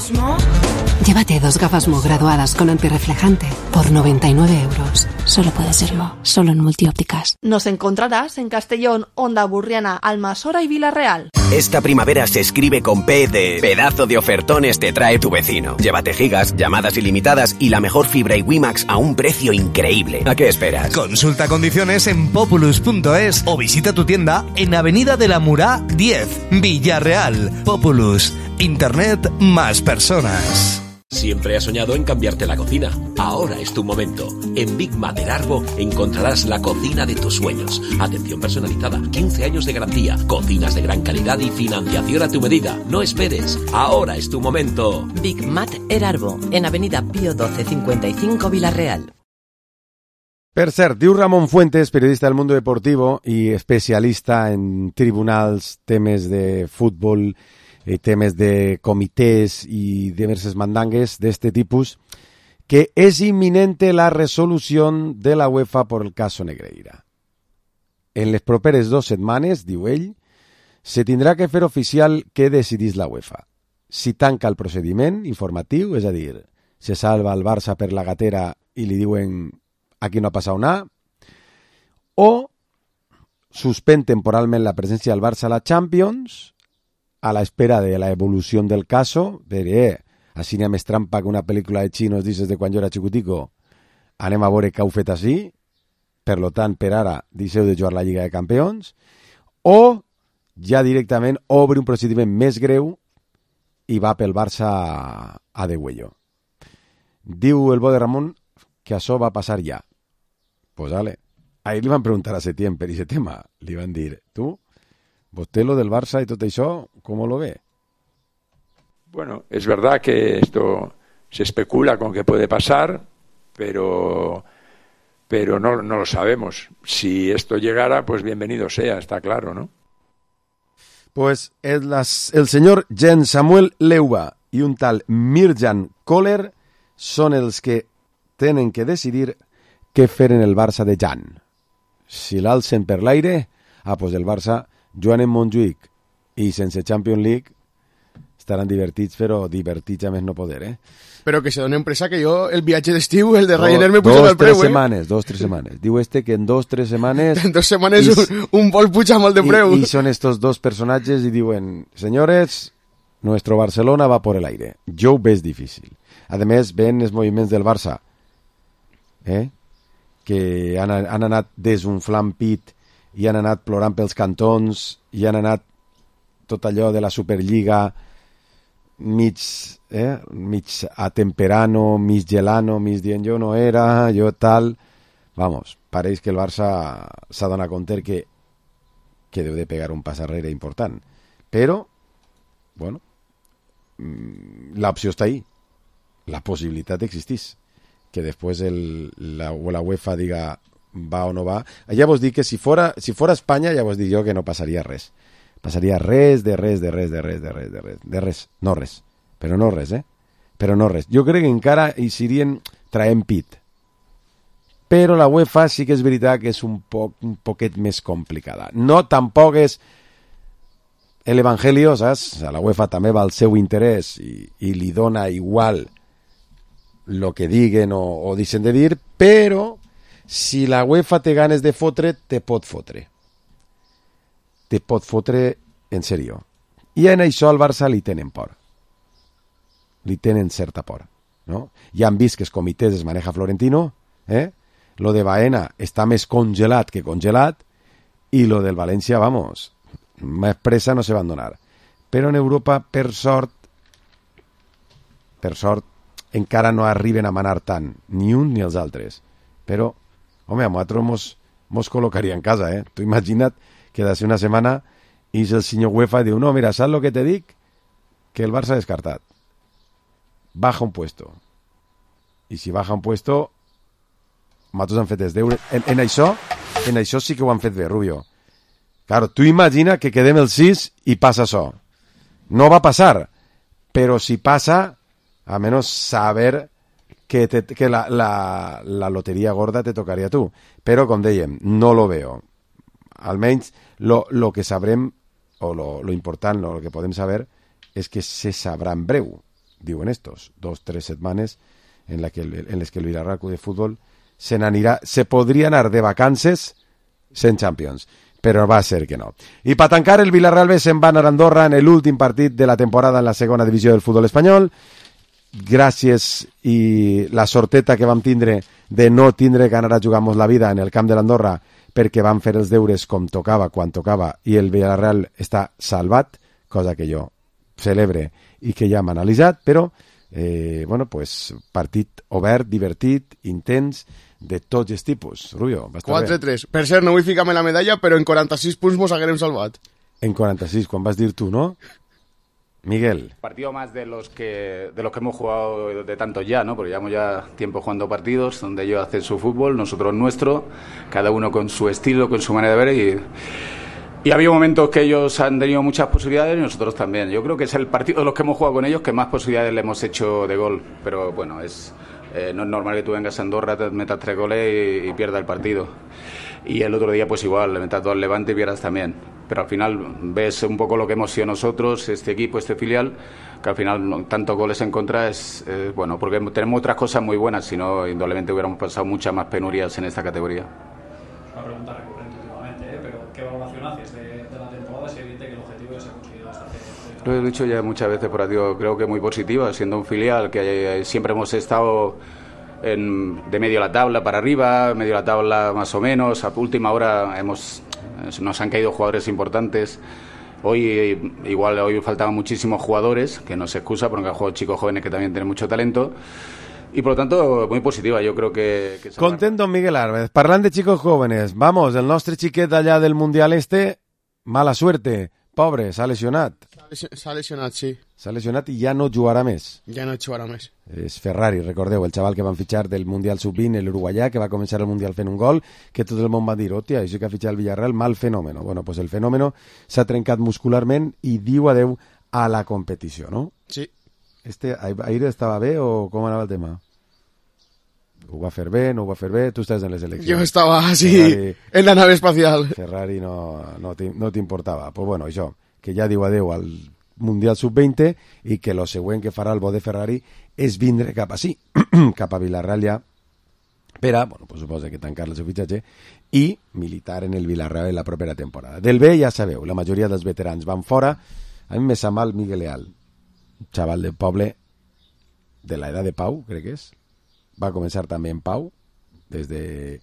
Llévate 2 gafas Mo graduadas con antirreflejante por 99 euros. Solo puede serlo, solo en Multiópticas. Nos encontrarás en Castellón, Onda Burriana, Almasora y Villarreal. Esta primavera se escribe con P de pedazo de ofertones te trae tu vecino. Llévate gigas, llamadas ilimitadas y la mejor fibra y WiMax a un precio increíble. ¿A qué esperas? Consulta condiciones en populus.es o visita tu tienda en Avenida de la Murá 10, Villarreal. Populus, Internet más personas. Siempre has soñado en cambiarte la cocina. Ahora es tu momento. En Big Mater Arbo encontrarás la cocina de tus sueños. Atención personalizada, 15 años de garantía, cocinas de gran calidad y financiación a tu medida. No esperes. Ahora es tu momento. Big Mater Arbo, en Avenida Pío 12 55 Villarreal. Per cert, diu Ramon Fuentes, periodista del Mundo Deportivo i especialista en tribunals, temes de futbol, temes de comités y diversas mandangues de este tipus, que es inminente la resolución de la UEFA por el caso Negreira. En les properes 2 setmanes, diu ell, se tindrà que fer oficial què decidís la UEFA. Si tanca el procediment informatiu, és a dir, se salva el Barça per la gatera i li diuen aquí no ha passat nada, o suspèn temporalment la presència del Barça a la Champions a la espera de la evolución del caso, de així n'hi ha més trampa que una pel·lícula de xinos dices de quan jo era xicutico, anem a veure què heu fet així, per lo tant, per ara, deixeu de jugar la Lliga de Campions, o ja directament obre un procediment més greu i va pel Barça a degüello. Diu el bo de Ramon que això va passar ja. Pues vale. Ahí li van preguntar a Setién per ese tema. Li van dir, tu, vostè lo del Barça y todo eso, ¿cómo lo ve? Bueno, es verdad que esto se especula con que puede pasar, pero no lo sabemos. Si esto llegara, pues bienvenido sea, está claro, ¿no? Pues el señor Jens Samuel Leuba y un tal Mirjan Kohler són els que tenen que decidir què fer en el Barça de Jan. Si l'alcen per l'aire, pues el Barça, jugant en Montjuïc i sense Champions League, estaran divertits, però divertits a més no poder, Però que se donen pressa que jo el viatge d'estiu, el de Ryanair, me puja del preu, 2-3 setmanes. Diu que en 2-3 setmanes... En 2 setmanes un vol puja molt de preu. I són estos dos personatges i diuen, senyores, nuestro Barcelona va por el aire. Jo ho veig difícil. A més, ven els moviments del Barça, que han anat desunflant pit i han anat plorant pels cantons i han anat tot allò de la Superliga mig atemperano, mig gelano, mig dient jo no era, jo tal... Vamos, pareix que el Barça s'ha donat compte que deu de pegar un pas arrere important. Però, bueno, l'opció està ahí. La possibilitat existís. Que després la UEFA diga va o no va. Ja vos dic que si fora Espanya, ja vos dic jo que no passaria res. Passaria res. No res. Però no res, Però no res. Jo crec que encara hi serien traient pit. Però la UEFA sí que és veritat que és un poquet més complicada. No, tampoc és el evangelio, saps? La UEFA també va al seu interès i li dona igual lo que diguen o deixen de dir, però si la UEFA té ganes de fotre, te pot fotre. Te pot fotre en sèrio. I en això al Barça li tenen por. Li tenen certa por. ¿no? Ja han vist que els comitès es maneja Florentino, lo de Baena està més congelat que congelat, i lo del València, vamos, més pressa no se van donar. Però en Europa, per sort, encara no arriben a manar tant, ni un ni els altres. Però, home, a nosaltres mos col·locaria en casa, Tu imagina't que d'ací una setmana és el senyor UEFA i diu, no, mira, saps lo que te dic? Que el Barça ha descartat. Baja un puesto. I si baja un puesto, nosaltres han fet els deures. En això sí que ho han fet bé, Rubio. Claro, tu imagina que quedem el 6 i passa això. No va passar, però si passa, a menos saber que la loteria gorda te tocaria a tu. Però, com dèiem, no lo veo. Almenys, lo que sabrem, o lo important, lo que podem saber, és que se sabrà en breu, diuen estos, 2-3 setmanes en les que el Villarreal de Futbol se podria anar de vacances sense Champions, però va ser que no. I per tancar, el Villarreal B se'n va anar a Andorra en l'últim partit de la temporada en la segona divisió del futbol espanyol. Gràcies i la sorteta que vam tindre de no tindre que anar a jugar-nos la vida en el camp de l'Andorra perquè vam fer els deures com tocava, quan tocava, i el Villarreal està salvat, cosa que jo celebre i que ja hem analitzat, però partit obert, divertit, intens, de tots els tipus. Rubio, va estar 4-3. Per cert, no vull ficar-me la medalla, però en 46 punts mos haguérem salvat. En 46, quan vas dir tu, ¿no? Miguel. Partido más de los que hemos jugado de tantos ya, ¿no? Porque llevamos ya tiempo jugando partidos donde ellos hacen su fútbol, nosotros nuestro, cada uno con su estilo, con su manera de ver y ha habido momentos que ellos han tenido muchas posibilidades y nosotros también. Yo creo que es el partido de los que hemos jugado con ellos que más posibilidades le hemos hecho de gol, pero bueno, no es normal que tú vengas a Andorra, te metas 3 goles y pierdas el partido. Y el otro día pues igual, le metas 2 al Levante y pierdas también. Pero al final ves un poco lo que hemos sido nosotros, este equipo, este filial, que al final tantos goles en contra es bueno, porque tenemos otras cosas muy buenas, si no, indudablemente hubiéramos pasado muchas más penurias en esta categoría. Una pregunta recurrente últimamente, pero ¿qué valoración haces de la temporada? Es evidente que el objetivo ya se ha conseguido hasta hace... Lo he dicho ya muchas veces por aquí, creo que muy positiva, siendo un filial que siempre hemos estado de medio de la tabla para arriba, medio de la tabla más o menos, a última hora nos han caído jugadores importantes. Hoy faltaban muchísimos jugadores, que no se excusa porque han jugado chicos jóvenes que también tienen mucho talento. Y por lo tanto, muy positiva, yo creo que Content don Miguel Álvarez. Parlant de chicos jóvenes, vamos, el nostre xiquet allà del Mundial mala suerte, pobre, s'ha lesionat. S'ha lesionat, sí. S'ha lesionat i ja no jugarà més. Ja no jugarà més. És Ferrari, recordeu, el xaval que van fitxar del Mundial Sub-20, l'uruguaià, que va començar el Mundial fent un gol, que tot el món va dir, hòstia, això que ha fitxat el Villarreal, mal fenòmeno. Bueno, pues el fenòmeno s'ha trencat muscularment i diu adeu a la competició, no? Sí. Aire estava bé o com anava el tema? Ho va fer bé, no ho va fer bé, tu estàs en les eleccions. Jo estava, sí, en la nave espacial. Ferrari no t'importava. Pues bueno, això, que ja diu adeu al Mundial Sub-20 i que lo següent que farà el bo de Ferrari és vindre cap a cap a Vilarreal ja, per a, bueno, pues suposa que tancar el seu fitxatge i militar en el Vilarreal en la propera temporada. Del B ja sabeu, la majoria dels veterans van fora. A mi me sap mal Miguel Leal, un xaval del poble de l'edat de Pau, crec que és. Va començar també en Pau, des de,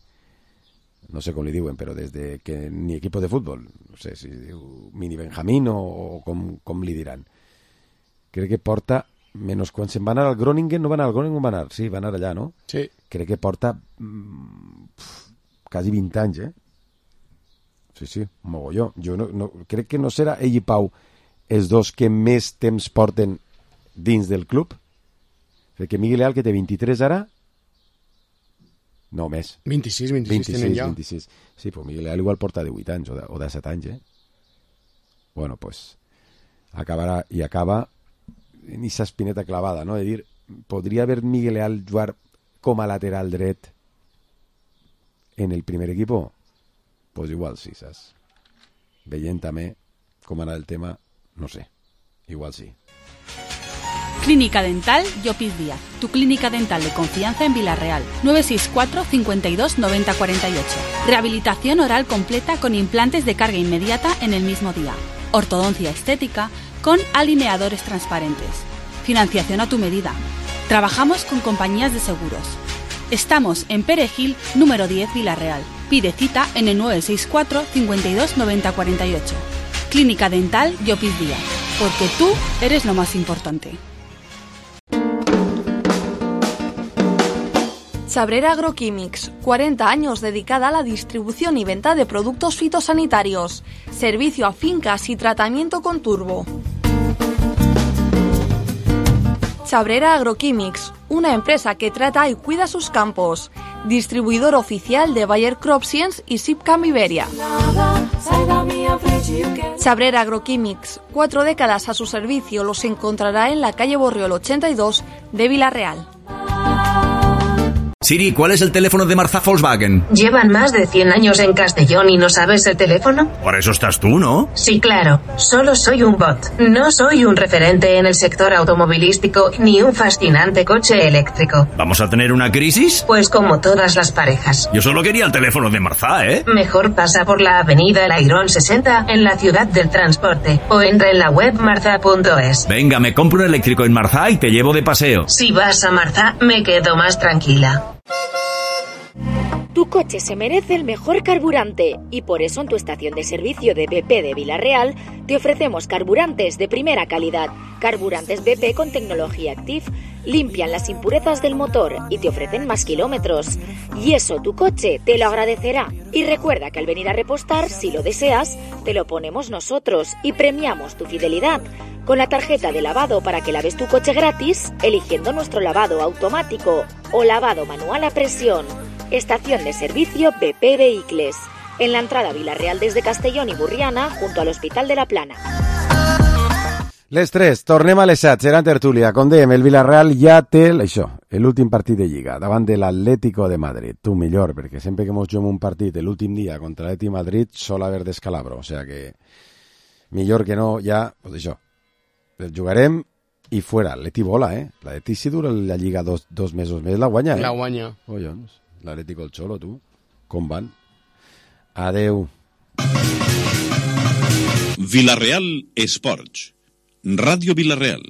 no sé com li diuen, però des de que ni equip de futbol, no sé si diu mini Benjamín o com li diran. Crec que porta, menys quan se'n va anar al Groningen, no va anar al Groningen, va anar, sí, va anar allà, no? Sí. Crec que porta quasi 20 anys, Sí, un mogolló. Jo crec que no serà ell i Pau els dos que més temps porten dins del club. Crec que Miguel Leal, que té 23 ara, no, més. 26 tenen ja. 26. Sí, pues Miguel Leal igual porta 18 anys o 17 anys, Bueno, pues acabarà i acaba en esa espineta clavada, no? De dir, podria haver Miguel Leal jugar com a lateral dret en el primer equipo? Pues igual sí, saps? Veient també com anava el tema, no sé, igual sí. Clínica Dental Llopis Díaz, tu clínica dental de confianza en Vilarreal. 964 52 90 48. Rehabilitación oral completa con implantes de carga inmediata en el mismo día. Ortodoncia estética con alineadores transparentes. Financiación a tu medida. Trabajamos con compañías de seguros. Estamos en Perejil, número 10, Vilarreal. Pide cita en el 964 52 90 48. Clínica Dental Llopis Díaz, porque tú eres lo más importante. Sabrera Agroquímics, 40 años dedicada a la distribución y venta de productos fitosanitarios, servicio a fincas y tratamiento con turbo. Sabrera Agroquímics, una empresa que trata y cuida sus campos, distribuidor oficial de Bayer Crop Science y Sipcam Iberia. Sabrera Agroquímics, 4 décadas a su servicio, los encontrará en la calle Borriol 82 de Vilarreal. Siri, ¿cuál es el teléfono de Marzá Volkswagen? ¿Llevan más de 100 años en Castellón y no sabes el teléfono? Por eso estás tú, ¿no? Sí, claro. Solo soy un bot. No soy un referente en el sector automovilístico ni un fascinante coche eléctrico. ¿Vamos a tener una crisis? Pues como todas las parejas. Yo solo quería el teléfono de Marzá, ¿eh? Mejor pasa por la avenida El Airón 60 en la ciudad del transporte o entra en la web marza.es. Venga, me compro un eléctrico en Marzá y te llevo de paseo. Si vas a Marzá, me quedo más tranquila. Tu coche se merece el mejor carburante y por eso en tu estación de servicio de BP de Vilarreal te ofrecemos carburantes de primera calidad. Carburantes BP con tecnología Active limpian las impurezas del motor y te ofrecen más kilómetros. Y eso tu coche te lo agradecerá. Y recuerda que al venir a repostar, si lo deseas, te lo ponemos nosotros y premiamos tu fidelidad con la tarjeta de lavado para que laves tu coche gratis eligiendo nuestro lavado automático o lavado manual a presión. Estación de servicio BP Vehicles, en la entrada a Vilarreal desde Castellón i Burriana, junto al Hospital de la Plana. Les 3, tornem a les 7, serà en tertúlia. Com dèiem, el Vilarreal ja té l'últim partit de Lliga, davant de l'Atlético de Madrid. Tu millor, perquè sempre que mos juguem un partit l'últim dia contra l'Atleti Madrid sol haver descalabro, o sea que millor que no, ja, pues això, el jugarem i fuera. L'Atleti vola, L'Atleti si dura la Lliga dos mesos més, la guanya, La guanya. Collons, l'Atleti col Xolo, tu, com van? Adeu. Vilarreal Esports. Ràdio Vilarreal.